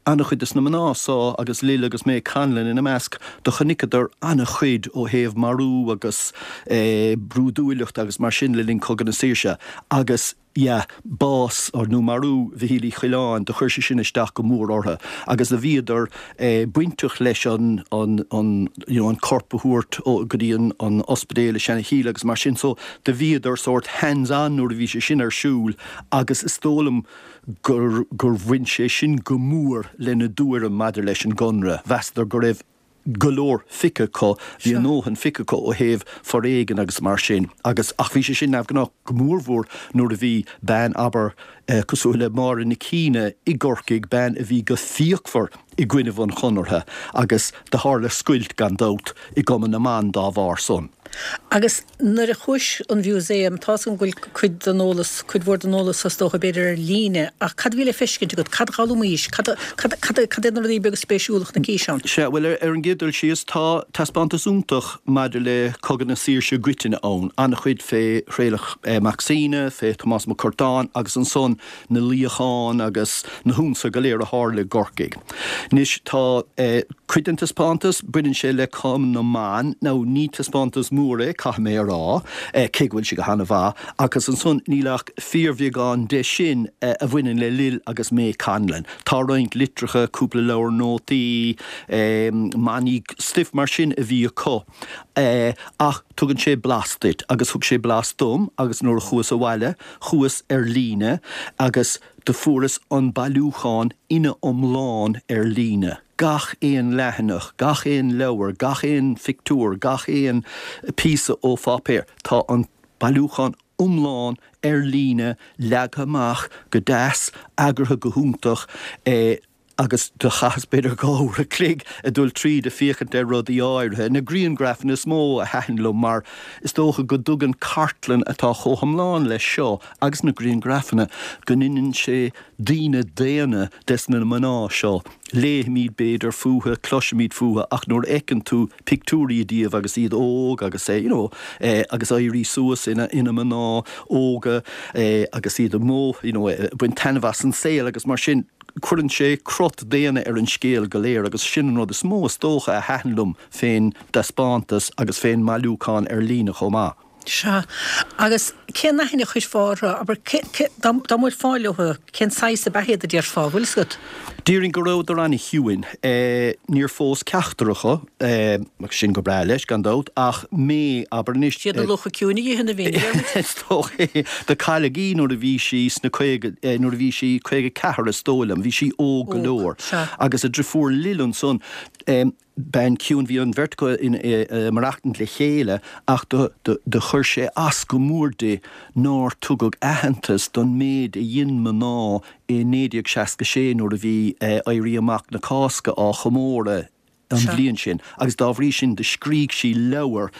An-chuid des na mná so, agus Lil agus May Conlon ina measc, do chonaiceadar an-chuid ó thaobh marú agus brúidiúlacht agus mar sin le linn Cogadh na Saoirse agus yeah bás nó marú Mhichíl Uí Choileáin, do chuir sé sin isteach go mór orthu agus do bhíodar bainteach leis an an an you know an corp a thabhairt go dtí an an ospidéal i Seanadh agus mar sin so do bhíodar sórt hands on nuair a bhí sé sin ar siúl agus is dóigh liom gur gur bhain sé sin go mór lena dtuairim maidir leis an gConradh. Mheasadar go raibh go leor feicthe acu, bhí a ndóthain feicthe acu ó thaobh foréigin agus mar sin agus ach bhí sé sin neamhghnách go mórmhór nuair a bhí bean, abair, cosúil le Máire Nic Cionnaith i gCorcaigh, bean a bhí go fíochmhar i gcoinnibh an Chonartha agus do tharla scoilt gan dabht i gCumann na mBan dá bharr san. Agus nuair a chuais 'on mhúsaem, tá's agam go bhfuil cuid den eolas, cuid mhór den eolas is dócha, b'fhéidir ar líne, ach cad a bhí le feiscint agat, cad a d'fhoghlaimís, cad a, cad, cad, cad iad na rudaí beaga spéisiúla a chonaicis ann? Sea, bhuel, ar an gcéad dul síos, tá taispeántas iontach maidir le Cogadh na Saoirse i gcoitinne ann, an-chuid fé Thraolach Mac Suibhne, fé Thomás Mac Curtáin agus ansan na luíocháin agus na hionsaithe go léir a tharla i gCorcaigh. Anois, tá cuid den taispeántas, baineann sé le Cumann na mBan, now ní taispeántas mór é, caithfidh mé a rá, cé go bhfuil sé go han-mhaith, agus ansan níl ach fíorbheagán de sin a bhaineann le Lil agus May Conlon. Tá roinnt litreacha, cúpla leabhar nótaí, manaí, stuif mar sin a bhí acu, ach tugann sé blas duit, agus thug sé blas dom, agus nuair a chuas abhaile, chuas ar líne agus do fuaireas an bailiúchán ina iomlán ar líne, gach aon leathanach, gach aon leabhar, gach aon phictiúr, gach aon phíosa ó pháipéar. Tá an bailiúchán iomlán ar líne, leagtha amach go deas, eagraithe go hiontach. Agus do chaitheas b'fhéidir dhá uair a chloig ag dul tríd ag féachaint ar rudaí áirithe. Na grianghrafanna is mó a thaitin liom mar is dócha go dtugann cartlann atá chomh hiomlán leis seo agus na grianghrafanna go ndeineann sé daoine daonna des na mná seo. Léimid b'fhéidir fúthu, cloisimid fúthu ach nuair a fheiceann tú pictiúirí díobh agus iad óg agus you know agus éirí suas ina ina mná óga agus iad amuigh you know ag baint taitneamh as an saol agus mar sin, Cuireann sé crot daonna ar an scéal go léir agus sin an rud is mó is dócha a thaitin liom fén dtaispeántas agus fén mbailiúchán ar líne chomh maith. Sea. Agus cén aithne a chuirfeá orthu, abair, dá mbuailfeá leo, cén saghas ab ea iad a déarfá, bhfuil fhios agat? Déarfainn go rabhadar an-chiúin. Níor phós ceachtar acu, agus sin go breá leis, gan dabht, ach mé, abair anois. Siad na lucha ciúine a itheann a bhíonn, a Dhiarmuid. Is dócha é. Do cailleadh í nuair a bhí sí sna caoga, nuair a bhí sí caoga ceathair is dóigh liom, bhí sí óg go leor. Agus a driofúr Lil ansan, bean ciúin, bhí an bheirt acu ag maireachtaint le chéile ach do do chuir sé as go mór di nár tugadh aitheantas don méid a dhein mná i naoi déag seasca sé nuair a bhí Éirí Amach na Cásca á chomóradh an bhliain sin agus dá bhrí sin do scrígh sí leabhar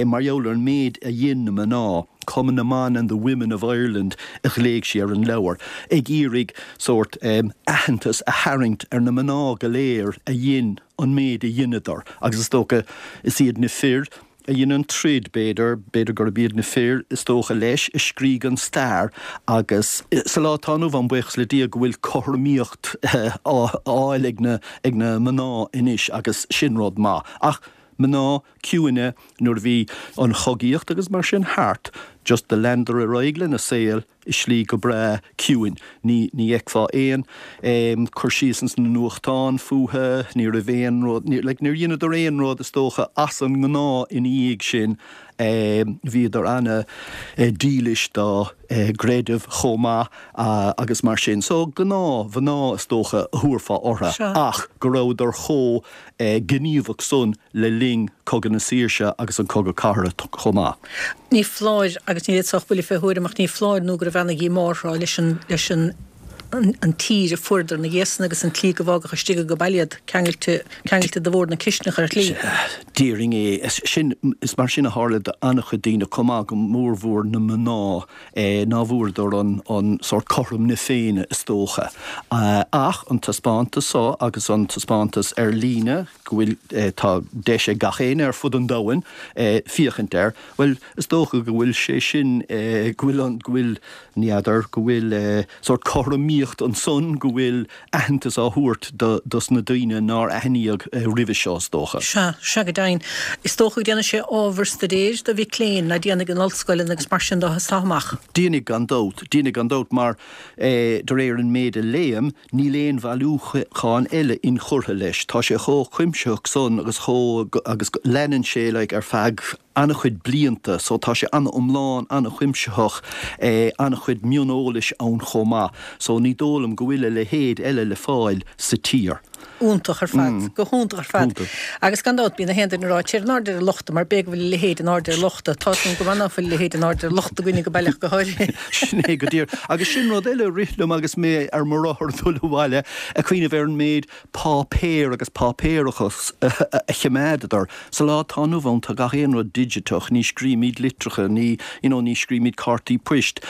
mar gheall ar an méid a dhein na mná. Cumann na mBan and the Women of Ireland a ghlaoigh sí ar an leabhar, ag iarraidh sórt aitheantas a tharraingt ar na mná go léir a dhein an méid a dheineadar agus is dócha is iad na fir a dhein an troid, b'fhéidir, b'fhéidir gurb iad na fir is dócha leis a scrígh an stair agus sa lá atá inniu ann, buíochas le Dia go bhfuil cothromaíocht á fháil ag na ag na mná anois agus sin rud maith. Ach mná ciúine nuair a bhí an chogaíocht agus mar sin thart, just do leanadar ar aghaidh lena saol i slí go breá ciúin. Ní, ní fheicfeá aon em cur síos ins na nuachtáin fúthu, ní raibh aon rud, ní, like níor dheineadar aon rud is dócha as an ngnáth ina dhiaidh sin. Em bhíodar ana eh dílis dá eh gcreideamh chomh maith agus mar sin. So gnáth mhná is dócha a thabharfá orthu ach go rabhadar chomh gníomhach san le linn Cogadh na Saoirse agus an Cogadh Cathartha chomh maith. Ní foláir, agus ní fhéadfá ach buille fé thuairim, ach ní foláir nó go raibh ana-dhíomá orthu leis an, leis an, an tír a fuaireadar ina dhiaidh san agus an tslí go bhfágadh istigh age baile iad, ceangailte, ceangailte de bhord na cisteanach ar shlí. Déarfainn é. Sin, is mar sin a tharla d'an-chuid daoine chomh maith, go mórmhór na mná. ná fuaireadar an sórt cothrom na Féinne is dócha. Ach an taispeántas so agus an taispeántas ar líne, go bhfuil, tá deis ag gach éinne ar fud an domhain féachaint air, bhuel, is dócha go bhfuil sé sin, go bhfuil an, go bhfuil, ní fheadar, go bhfuil sórt cothromaíocht ansan, go bhfuil aitheantas á thabhairt dos na daoine nár aithníodh roimhe seo, is dócha. Sea, sea go deimhin. Is dócha go ndéanfaidh sé ábhar staidéir do mhic léinn, ná déanfaidh in ollscoileanna agus mar sin de as seo amach. Déanfaidh gan dabht, déanfaidh gan dabht mar de réir an méid a léim, níl aon bhailiúchán eile inchurtha leis. Tá sé chomh cuimsitheach san agus chomh, agus leanann sé like ar feadh an-chuid blianta so tá sé an-iomlán, an-chuimsitheach, an-chuid mioneolais ann chomh maith so ní dóigh liom go bhfuil a leithéid eile le fáil sa tír. Iontach ar fad, go hiontach ar fad. Agus gan dabht bíonn na haon duine ag rá téir in airde ar a lochta mar b'fhéidir go bhfuil a leithéid in airde ar a lochta. Tá sin go maith ná fuil a leithéid in airde ar a lochta againne go baileach go háirithe. Sin é go díreach. Agus sin rud eile a rith liom agus mé ar mo rothar ag dul abhaile, ag cuimhneamh ar an méid páipéar agus páipéarachas a choimeádadar. Sa lá atá inniu ann tá gach aon rud digiteach, ní scrímid litreacha, ní, you know, ní scrímid cártaí poist.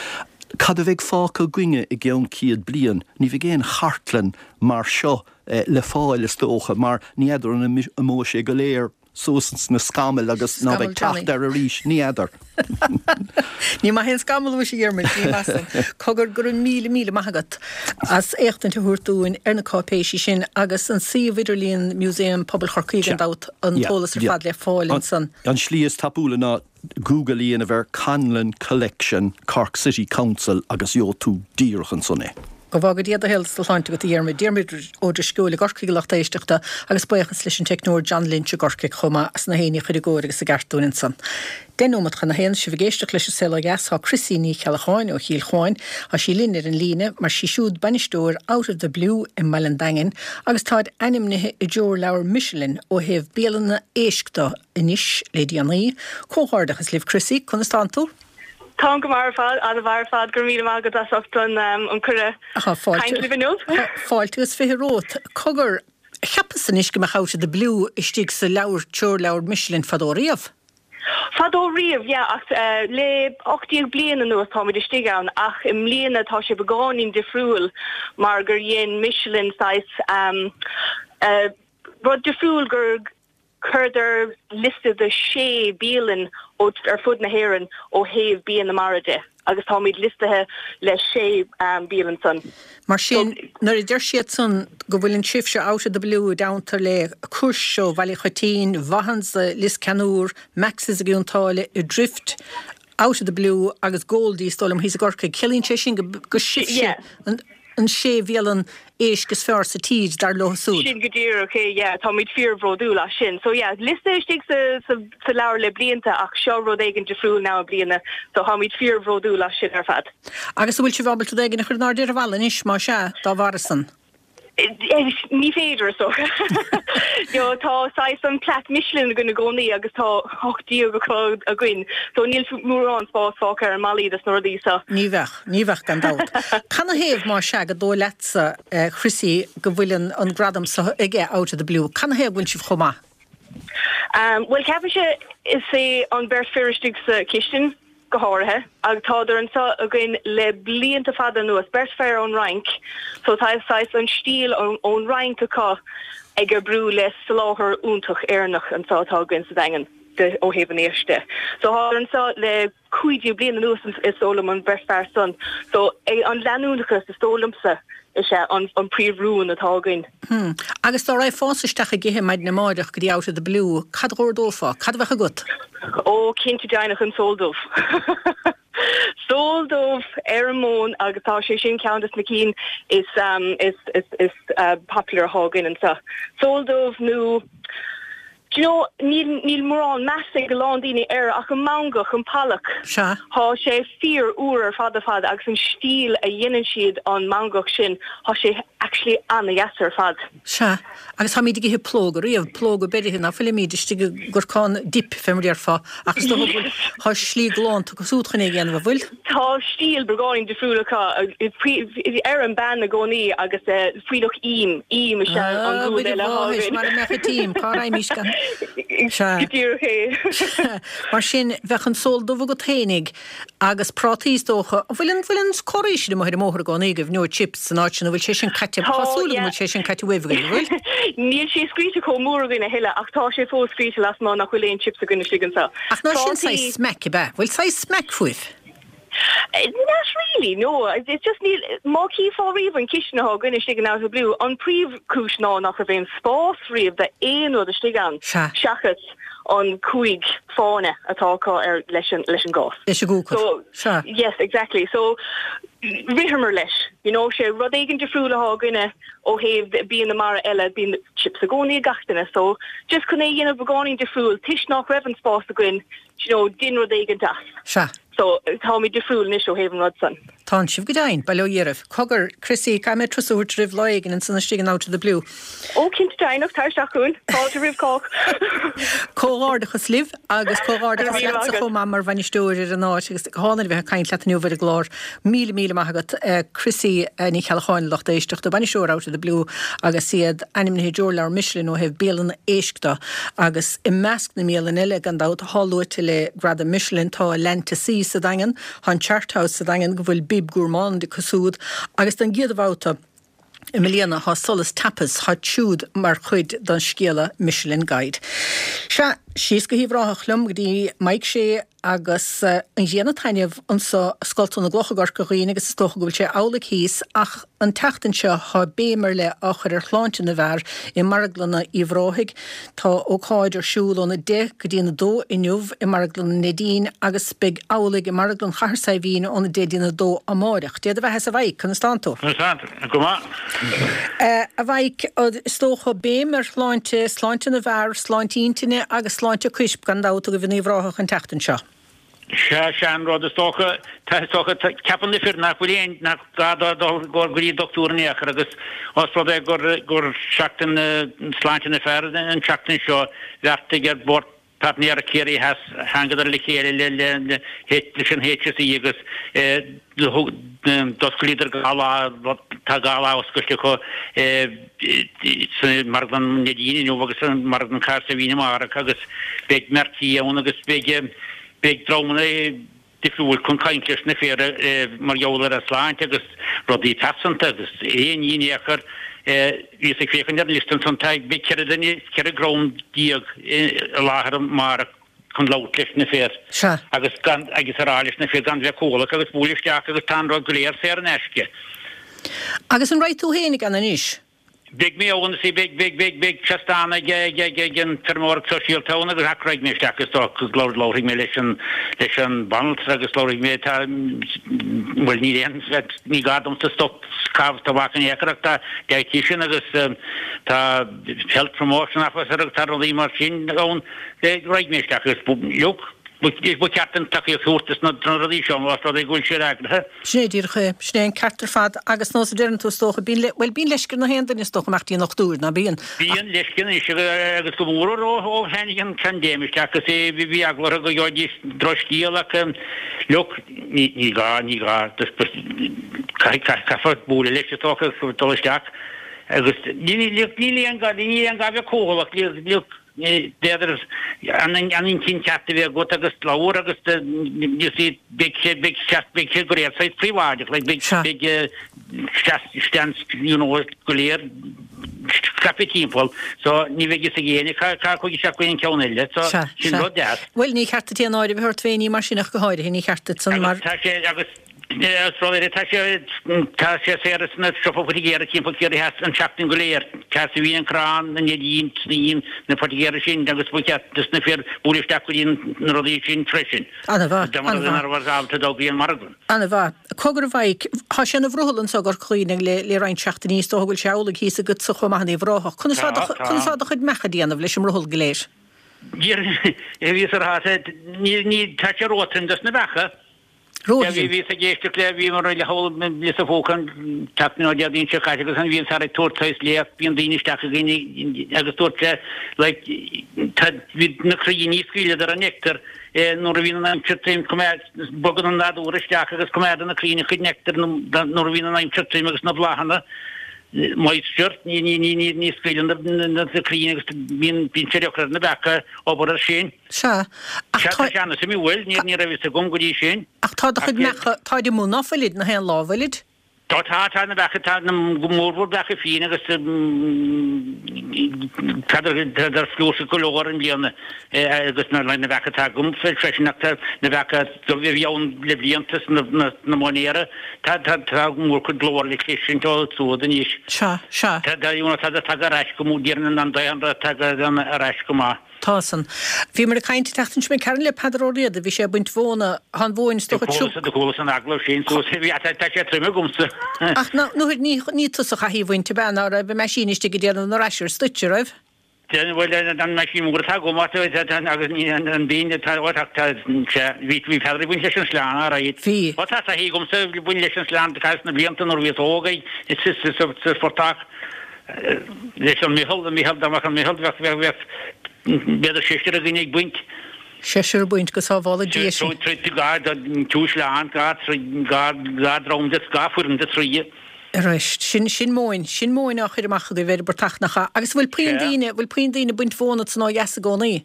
Cad a bheidh fágtha againne i gceann céad bliain? Ní bheidh aon chartlann mar seo le fáil is dócha, mar ní fheadar an imeoidh sé go léir suas ins na scamaill agus ná beidh teacht air arís, ní fheadar. Ní maith aon scamall uais, a Dhiarmuid, ní maith san. Cogar, go raibh míle, míle maith agat as éachtaint a thabhairt dúinn ar na cáipéisí sin agus an suíomh idirlíon Músaem Pobail Chorcaí gan dabht, an t-eolas ar fad le fáil ansan. An slí is tapúla ná Google a dhéanamh ar Conlon Collection Cork City Council agus gheobhaidh tú díreach ansan é. Go bhfága Dia do shaol is do shláinte agat, a Dhiarmuid. Diarmuid Ó Drisceoil i gCorcaigh, a lucht éisteachta, agus buíochas leis an teicneoir John Lynch i gCorcaigh chomh maith as na haon ní a chur i gcóir agus i gceart dúinn ansan. Deich nóimeat chun a haon, sibh ag éisteacht leis an Saol Ó Dheas, tá Chrissy Ní Cheallacháin ó Chill Chuáin, tá sí linn ar an líne mar sí siúd bainisteoir Out of the Blue i mBaile an Daingin agus táid ainmnithe i dtreoirleabhar Michelin ó thaobh bialanna éisc de anois le déanaí. Comhghairdeachas libh Chrissy, conas tánn tú? Táim go maith ar fad, an-mhaith ar fad. Go raibh míle maith agat as ucht an an cuireadh caint libh inniu. Fáilte agus fiche romhat. Cogar, cheapas anois go mbeadh Out of the Blue istigh sa leabhar, treoirleabhar Michelin fadó riamh? Fadó riamh, yeah, ach le ocht déag bliain anuas táimid istigh ann ach i mbliana tá sé beagáinín difriúil mar gur dhein Michelin saghas rud difriúil gur Chuireadar liosta de sé bialann ó ar fud na hÉireann ó thaobh bia na mara de agus táimid liostaithe le sé bialann san. Mar sin, nuair a deir siad san go bhfuileann sibhse Out of the Blue i dteannta le Cúirt ó Bhaile Choitín, Vaughan's i Lios Ceannúir, Max's i gCionn tSáile, Adrift Out of the Blue agus Goldie is dóigh liom thíos i gCorcaigh. Ciallaíonn sé sin go sibhse an sé bhialann éisc is fearr sa tír dar leo súd. Sin go díreach é, yeah, táimid fíorbhródúil as sin. So yeah, liosta istigh sa, sa, sa leabhar le blianta ach seo rud éigin difriúil now i mbliana, so táimid fíorbhródúil as sin ar fad. Agus an bhfuil sibh ábalta rud éigin a chur in airde ar an bhalla anois, más ea, dá bharr san? Ní féidir is dócha. You tá saghas an plaic Michelin againn i gcónaí agus tá ocht déag acu againn, so níl mórán spás fágtha ar an mballaí dos na rudaí so. Ní bheadh, ní bheadh gan dabht. Canathaobh más ea go dóigh leatsa, Chrissie, go bhfuil an an gradam so aige Out of the Blue? Canathaobh go bhfuil sibh chomh maith? Bhuel ceapaimse is é an beirt fir istigh sa chistin. go háirithe, agus tádar anseo againn le blianta fada anuas, beirt fear ón Fhrainc, so tá saghas an stíl ón Fhrainc acu ag oibriú le soláthar iontach Éireannach anseo atá againn sa Daingean de ó thaobh an éisc de. So tádar anseo le cúig déag bliain anuas is dóigh liom an bheirt fear san. So an leanúnachas is dóigh liomsa is ea an príomh-rún atá againn. Hmm. Agus dá raghfása isteach ag ithe maidin amáireach go dtí Out of the Blue, cad a dh'ordófá? Cad a bheadh agat? Ó, cinnte deimhneach an sól dubh. Sól dubh ar an móin agus tá sé sin ceann des na cinn is, is, is, is popular atá againn anseo. Sól dubh nó. Do you know, níl, níl mórán meas ag a lán daoine air ach an mangach, an pollock. Sea. Thá sé fíor úr ar fad ar fad agus an stíl a dhéanann siad an mangach sin, thá sé actually ana-dheas ar fad. Sea. Agus táimíd ag ithe plóga riamh, plóga beirithe ná fuilimíd istigh i gcorcán dip, fé mar déarfá, ach is dócha go bhfuil, thá slí galánta acu súd chun é a dhéanamh, an bhfuil? Tá stíl beagáinín difriúil acu, ar an bpan i gcónaí agus fuílleach im, im is ea an rud eile atá againn. Mara mbeadh an t-im, cá raghaimís gan? Sea. Go díreach é. Mar sin, bheadh an sól dubh agat fhéinig agus prátaí is dócha. An bhfuil an bhfuil an curaí sin amuigh ar an mbóthar i gcónaí agaibh, no chips san áit sin, an bhfuil sé sin caite? Tá, Tá súil agam yeah. go bhfuil sé sin caite uaibh agaibh, an bhfuil? Níl sé scríte chomh mór againn a thuilleadh ach tá sé fós scríte lasmuigh nach bhfuil aon chips againn istigh anseo. Ach ná sin Prátaí. saghas smaic, ab ea? Bhfuil saghas smaic fúibh? Not really, no. It's just níl, má chífeá riamh an cistin atá againn istigh in Out of the Blue, an príomhchúis ná nach raibh aon spás riamh d'aon rud istigh ann Sea. seachas an cúig fáinne atá acu ar leis an leis an gás. Leis an gcúcar. So, Sea. yes, exactly. So, ritheamar leis. You know, sé rud éigin difriúil atá againne ó thaobh bia na mara eile, bíonn chips i gcónaí ag gach duine. So, just chun é a dhéanamh beagáinín difriúil, toisc nach raibh an spás againn, do you know, dein rud éigin as. Sea. So, táimid difriúil anois ó thaobh an rud san. Tánn sibh go deimhin, bail ó Dhia oraibh. Cogar, Chrissie, caithfidh mé turas a thabhairt oraibh lá éigin ansan istigh in Out of the Blue. Ó, cinnte deimhneach, tar isteach chugainn. Fáilte roimh chách. Comhghairdeachas libh agus Go raibh comhghairdeachas míle maith leatsa agat. chomh maith mar bhainisteoir ar an áit agus go hálainn a bheith ag caint leat inniu ar an gclár. Míle míle maith agat, Chrissie Ní Cheallacháin, lucht éisteachta, bainisteoir Out of the Blue agus iad ainmnithe i dtreoirleabhar Michelin ó thaobh bialanna éisc de agus i measc na mbialann eile gan dabht atá luaite le gradam Michelin tá Land to Sea sa Daingean, tá an Chart House sa Daingean go bhfuil Bib Gourmand acu súd agus don gcéad bhabhta i mbliana tá Solas Tapas, tá siúd mar chuid den scéala Michelin Guide. Sea, síos go hUíbh Ráthach liom go dtí Mike Shea agus an ghrian ag taitneamh anso i Scolta na gCloch i gCorca Dhuibhne agus is dócha go bhfuil sé amhlaidh thíos ach an tseachtain seo tá béim ar leith á chur ar shláinte na bhfear i marglanna Uíbh Ráthaigh. Tá ócáid ar siúl óna deich go dtí an a dó inniu i marglann an Neidín agus beidh amhlaidh i marglann Chathair Saidhbhín óna deich dtí'n a dó amáireach. Dé do bheatha-sa a Mhaidhc, conas tánn tú? Conas tánn tú? Go maith. A Mhaidhc, is dócha béim ar shláinte, sláinte na bhfear, sláinte intinne agus sláinte coirp gan dabht agaibh in Uíbh Ráthach an tseachtain seo. Sea, sea an rud is dócha, tá, is dócha, ceapann na fir nach bhfuil aon, nach gá dóibh dul go dtí dochtúir in aon chor agus ós rud é gur, gur seachtain sláinte na fear an tseachtain seo, bheartaigh ar Bhord Páirtnéireacht Chiarraí Theas, thángadar le chéile le, le, le, leis an HSE agus d'osclaíodar dhá lá, tá dhá lá oscailte acu sa Marglann Neidín inniu agus sa Marglann Chathair Saidhbhín amárach agus beidh Marty ann agus beidh, Beidh dreamanna difriúil chun caint leis na fir mar gheall ar a sláinte agus rudaí pearsanta agus aon ní in aon chor. Bhíos ag féachaint ar an liosta ansan, tá, beidh ceithre duine, ceithre dhream déag i láthair amárach chun labhairt leis na fir Sea. agus gan, agus a rá leis na fir gan bheith cúthalach agus buail isteach agus tá an rud go léir saor in aisce. Agus an raghaidh tú fhéinig ann anois? Beidh mé ann, sea, beidh, beidh, beidh, beidh seastán ag, ag, ag, ag an feirmeoireacht sóisialta ann agus ach raghaidh mé isteach is dócha agus labharfaidh mé leis an, leis an banaltra agus labharfaidh mé, tá, bhuel níl aon, ní gá domsa stop caitheamh tobac in aon chor ach tá dietitian agus tá health promotion officer agus tá rudaí mar sin ann, raghaidh mé isteach agus look, Ba cheart an tacaíocht a thabhairt dos na rudaí seo más rud é go bhfuil siad eagraithe. Sin é díreach é. Sin é an ceart ar fad agus nós a deireann tú is dócha, bíonn le, bhuel bíonn leisce ar na haon duine is dócha imeacht dtí an dochtúir, ná bíonn? Bíonn leisce anois agus go mór ó ó tháinig an phaindéim isteach is é bhí eagla orthu go gheobhaidís drochscéal ach look ní ní gá ní gá caithfidh caithfear bualadh leis is dócha agus dul isteach agus ní ní níl aon gá níl aon gá bheith cúthaileach look B'fhéidir an intinn cheart a bheith agat agus labhair agus you see beidh sé beidh sé beidh sé go léir saghas príobháideach like beidh beidh seans you know go léir scaipthe timpeall so ní bheidh fhios ag éinne cá cá chuaigh isteach go aon ceann eile so sin rud deas. Bhuel ní cheart duit aon náire a bheith ort féin ní mar sin ach go háirithe ní cheart duit san mar. Agus tá sé agus Is rud eile, tá sé tá sé saor sna siopaí poitigéara timpeall Chiarraí Theas an tseachtain go léir. Cathair Saidhbhín, an Crann, an Neidín, Snaidhm, na poitigéara sin agus ba cheart dos na fir bualadh isteach go dtí na rudaí sin freisin. Ana-mhaith, Dá mba rud é ana-mhaith. ná raibh ábalta dul go dtí an margadh. Ana-mhaith. Cogar a Mhaidhc, tá sé ina bhrothall anso i gCorca Dhuibhne le le roinnt seachtainí, is dócha go bhfuil sé amhlaidh thíos agatsa chomh maith in Uíbh Ráthach. Conas Tá, tá do tá. conas tá do chuid mbeach ag déanamh leis an mbrothall go léir? Bhíos ar ní ní tá sé róthrom dos na beacha. Róthrom. Bhíos ag éisteacht le, bhíomar le hól lios a phóca an tseachtain nó Déardaoin seo caite agus an bhíonn fear ag tabhairt saghas léacht, bíonn daoine isteach againn agus dúirt sé like tá, bhí na crainn ní scaoileadar an nectar nuair a bhíonn an aimsir tirim, coimeád, bogann an nádúr isteach agus coimeádann na crainn a chuid nectar nuair a bhíonn an aimsir tirim agus na bláthanna moisture, ní, ní, ní, ní, ní scaoileann na, na crainn agus bíonn, bíonn sé deacair ar na beacha obair ar sin. Sea, ach Sea, tá. tá sé an-suimiúil, ní, ní raibh fhios agam go dtí sin. Ach tá do Ach chuid mbeacha, táid amuigh ná fuilid, na haon lá, bhfuilid? Tá, tá, tá na beacha, tá na mórmhór beacha fiáin agus tádar, tádar flúirseach go leor i mbliana agus na, na beacha atá agam freisin ach tá na beacha a bhí ann le blianta sna, na, na móinéara, tá, tá, tá mórchuid glór le cloisint ó siúd anois. Sea, sea. Tá, tá, you know, tá, tagtha ar ais go mór, déarfainn an daonra tagtha ar ais go maith. Tá san. Bhíomar ag caint an tseachtain seo imigh tharainn le Peadar Ó Riada, bhí sé ag baint mhóna, tá an mhóin is Do dócha chualas, tiubh. do chualas an agallamh sin suas, bhí, tá, tá sé trom agamsa. Ach ná, nó ní, ní tusa a chaith í a bhaint, ab ea, ná raibh an meaisín istigh ag déanamh na raisear duit, a raibh? Déanamh, bhuel, an meaisín mór atá agam, tá, tá, tá, agus ní, an, an binn atá, ó, tá, tá, sea, bhí, bhí Peadar ag baint leis an sleán, alright. Bhí. Ó, tá taithí agamsa ag baint leis an sleán, caitheamh sna blianta nuair a bhíos óg, sa, sa, sa, sa phortach. Leis an meitheal, an meitheal, dá mbeadh an meitheal, bheadh, bheadh, bheadh, b'fhéidir seisear againn ag baint. Seisear ag baint, go sábhála Dia sinn. Trí, trí, dhá, trí shleán, dhá, trí, dhá, dhá dhream de, dhá foireann de thrí. Arís, sin, sin móin, sin móin á chur amach agaibh ar an bportach nach ea? Agus bhfuil puinn daoine, bhfuil puinn daoine ag baint mhóna ansan ó dheas i gcónaí?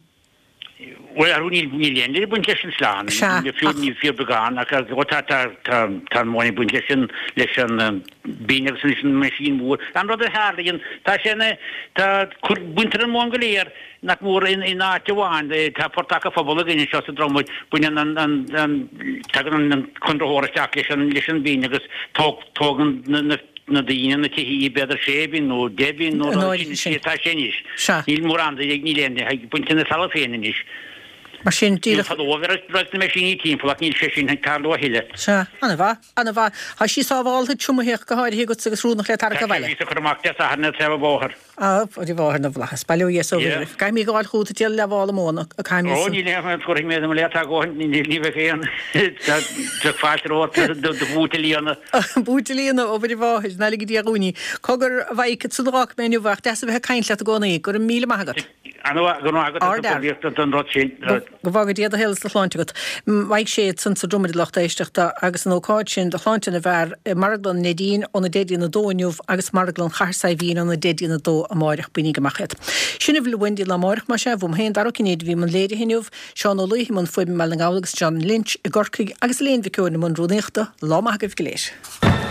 Bhuel, arú níl níl aon duine ag baint leis an sleán, Sea, fiú ach. níl fíorbheagán ach ó tá tá tá tá an mhóin ag baint leis an leis an binn agus leis an meaisín mhór. An rud a tharlaíonn, tá sé ina tá cur baintear an mhóin go léir nach mór in in áit amháin, tá portach an phobail againn anseo sa Dromad, baineann an an an tagann an an conraitheoir isteach leis an leis an binn agus tóg tógann na na na daoine na tithe b'fhéidir sé binn nó deich binn nó An rud áirithe sin sin. atá sé anois. Sea. Níl mórán de níl aon duine ag baint ina talamh féin anois. Mar sin, Níl díreach. fadó a bheadh raibh na meaisíní timpeall ach níl sé sin ag tarlú a thuilleadh. Sea. Ana-mhaith. Ana-mhaith. Tá sí sábháltha triomaithe go háirithe agatsa agus rúnach le Tá tarrac sé abhaile. bhíos ag cur amach Dé Sathairn ar taobh an bhóthair. A Mhuire Mháthair na bhFlaitheas. Bail ó Dhia is ó Yeah. Mhuire. Caithfidh mé a ghabháil chugat ag díol leathmhála móna, caithfidh mé Ó san. níl aon chuirfidh mé do mo leith tá dhóthain ní ní bheidh aon tá fáilte romhat do do bhúit a líonadh. Búit a líonadh ó Mhuire Mháthair, ná lige Dia dhúinn í. Cogar a Mhaidhc ansan a dh'fhágfaidh mé inniu ach deas a bheith ag caint leat i gcónaí. Go raibh míle maith agat. Ana-mhaith go raibh maith agat as Ard an fhear. bpóilíocht don rud sin. Go bhfága Dia do shaol is do shláinte agat. Mhaidhc Sé ansan sa Dromad a lucht éisteachta agus an ócáid sin do shláinte na bhfear i Marglann Neidín óna deich dtí'n a dó inniu agus Marglann Chathair Saidhbhín óna deich dtí'n a dó amáireach bainigí amach iad. Sin a bhfuil uainn daoibh lá amárach mar sea, uaim féin Dara Ó Cinnéide a bhí i mbun léirithe inniu, Seán Ó Laoithe i mbun fuaime i mBaile na nGall agus John Lynch i gCorcaigh agus Elaine Mhic Eoin i mbun rúnaíochta, lá maith agaibh go léir.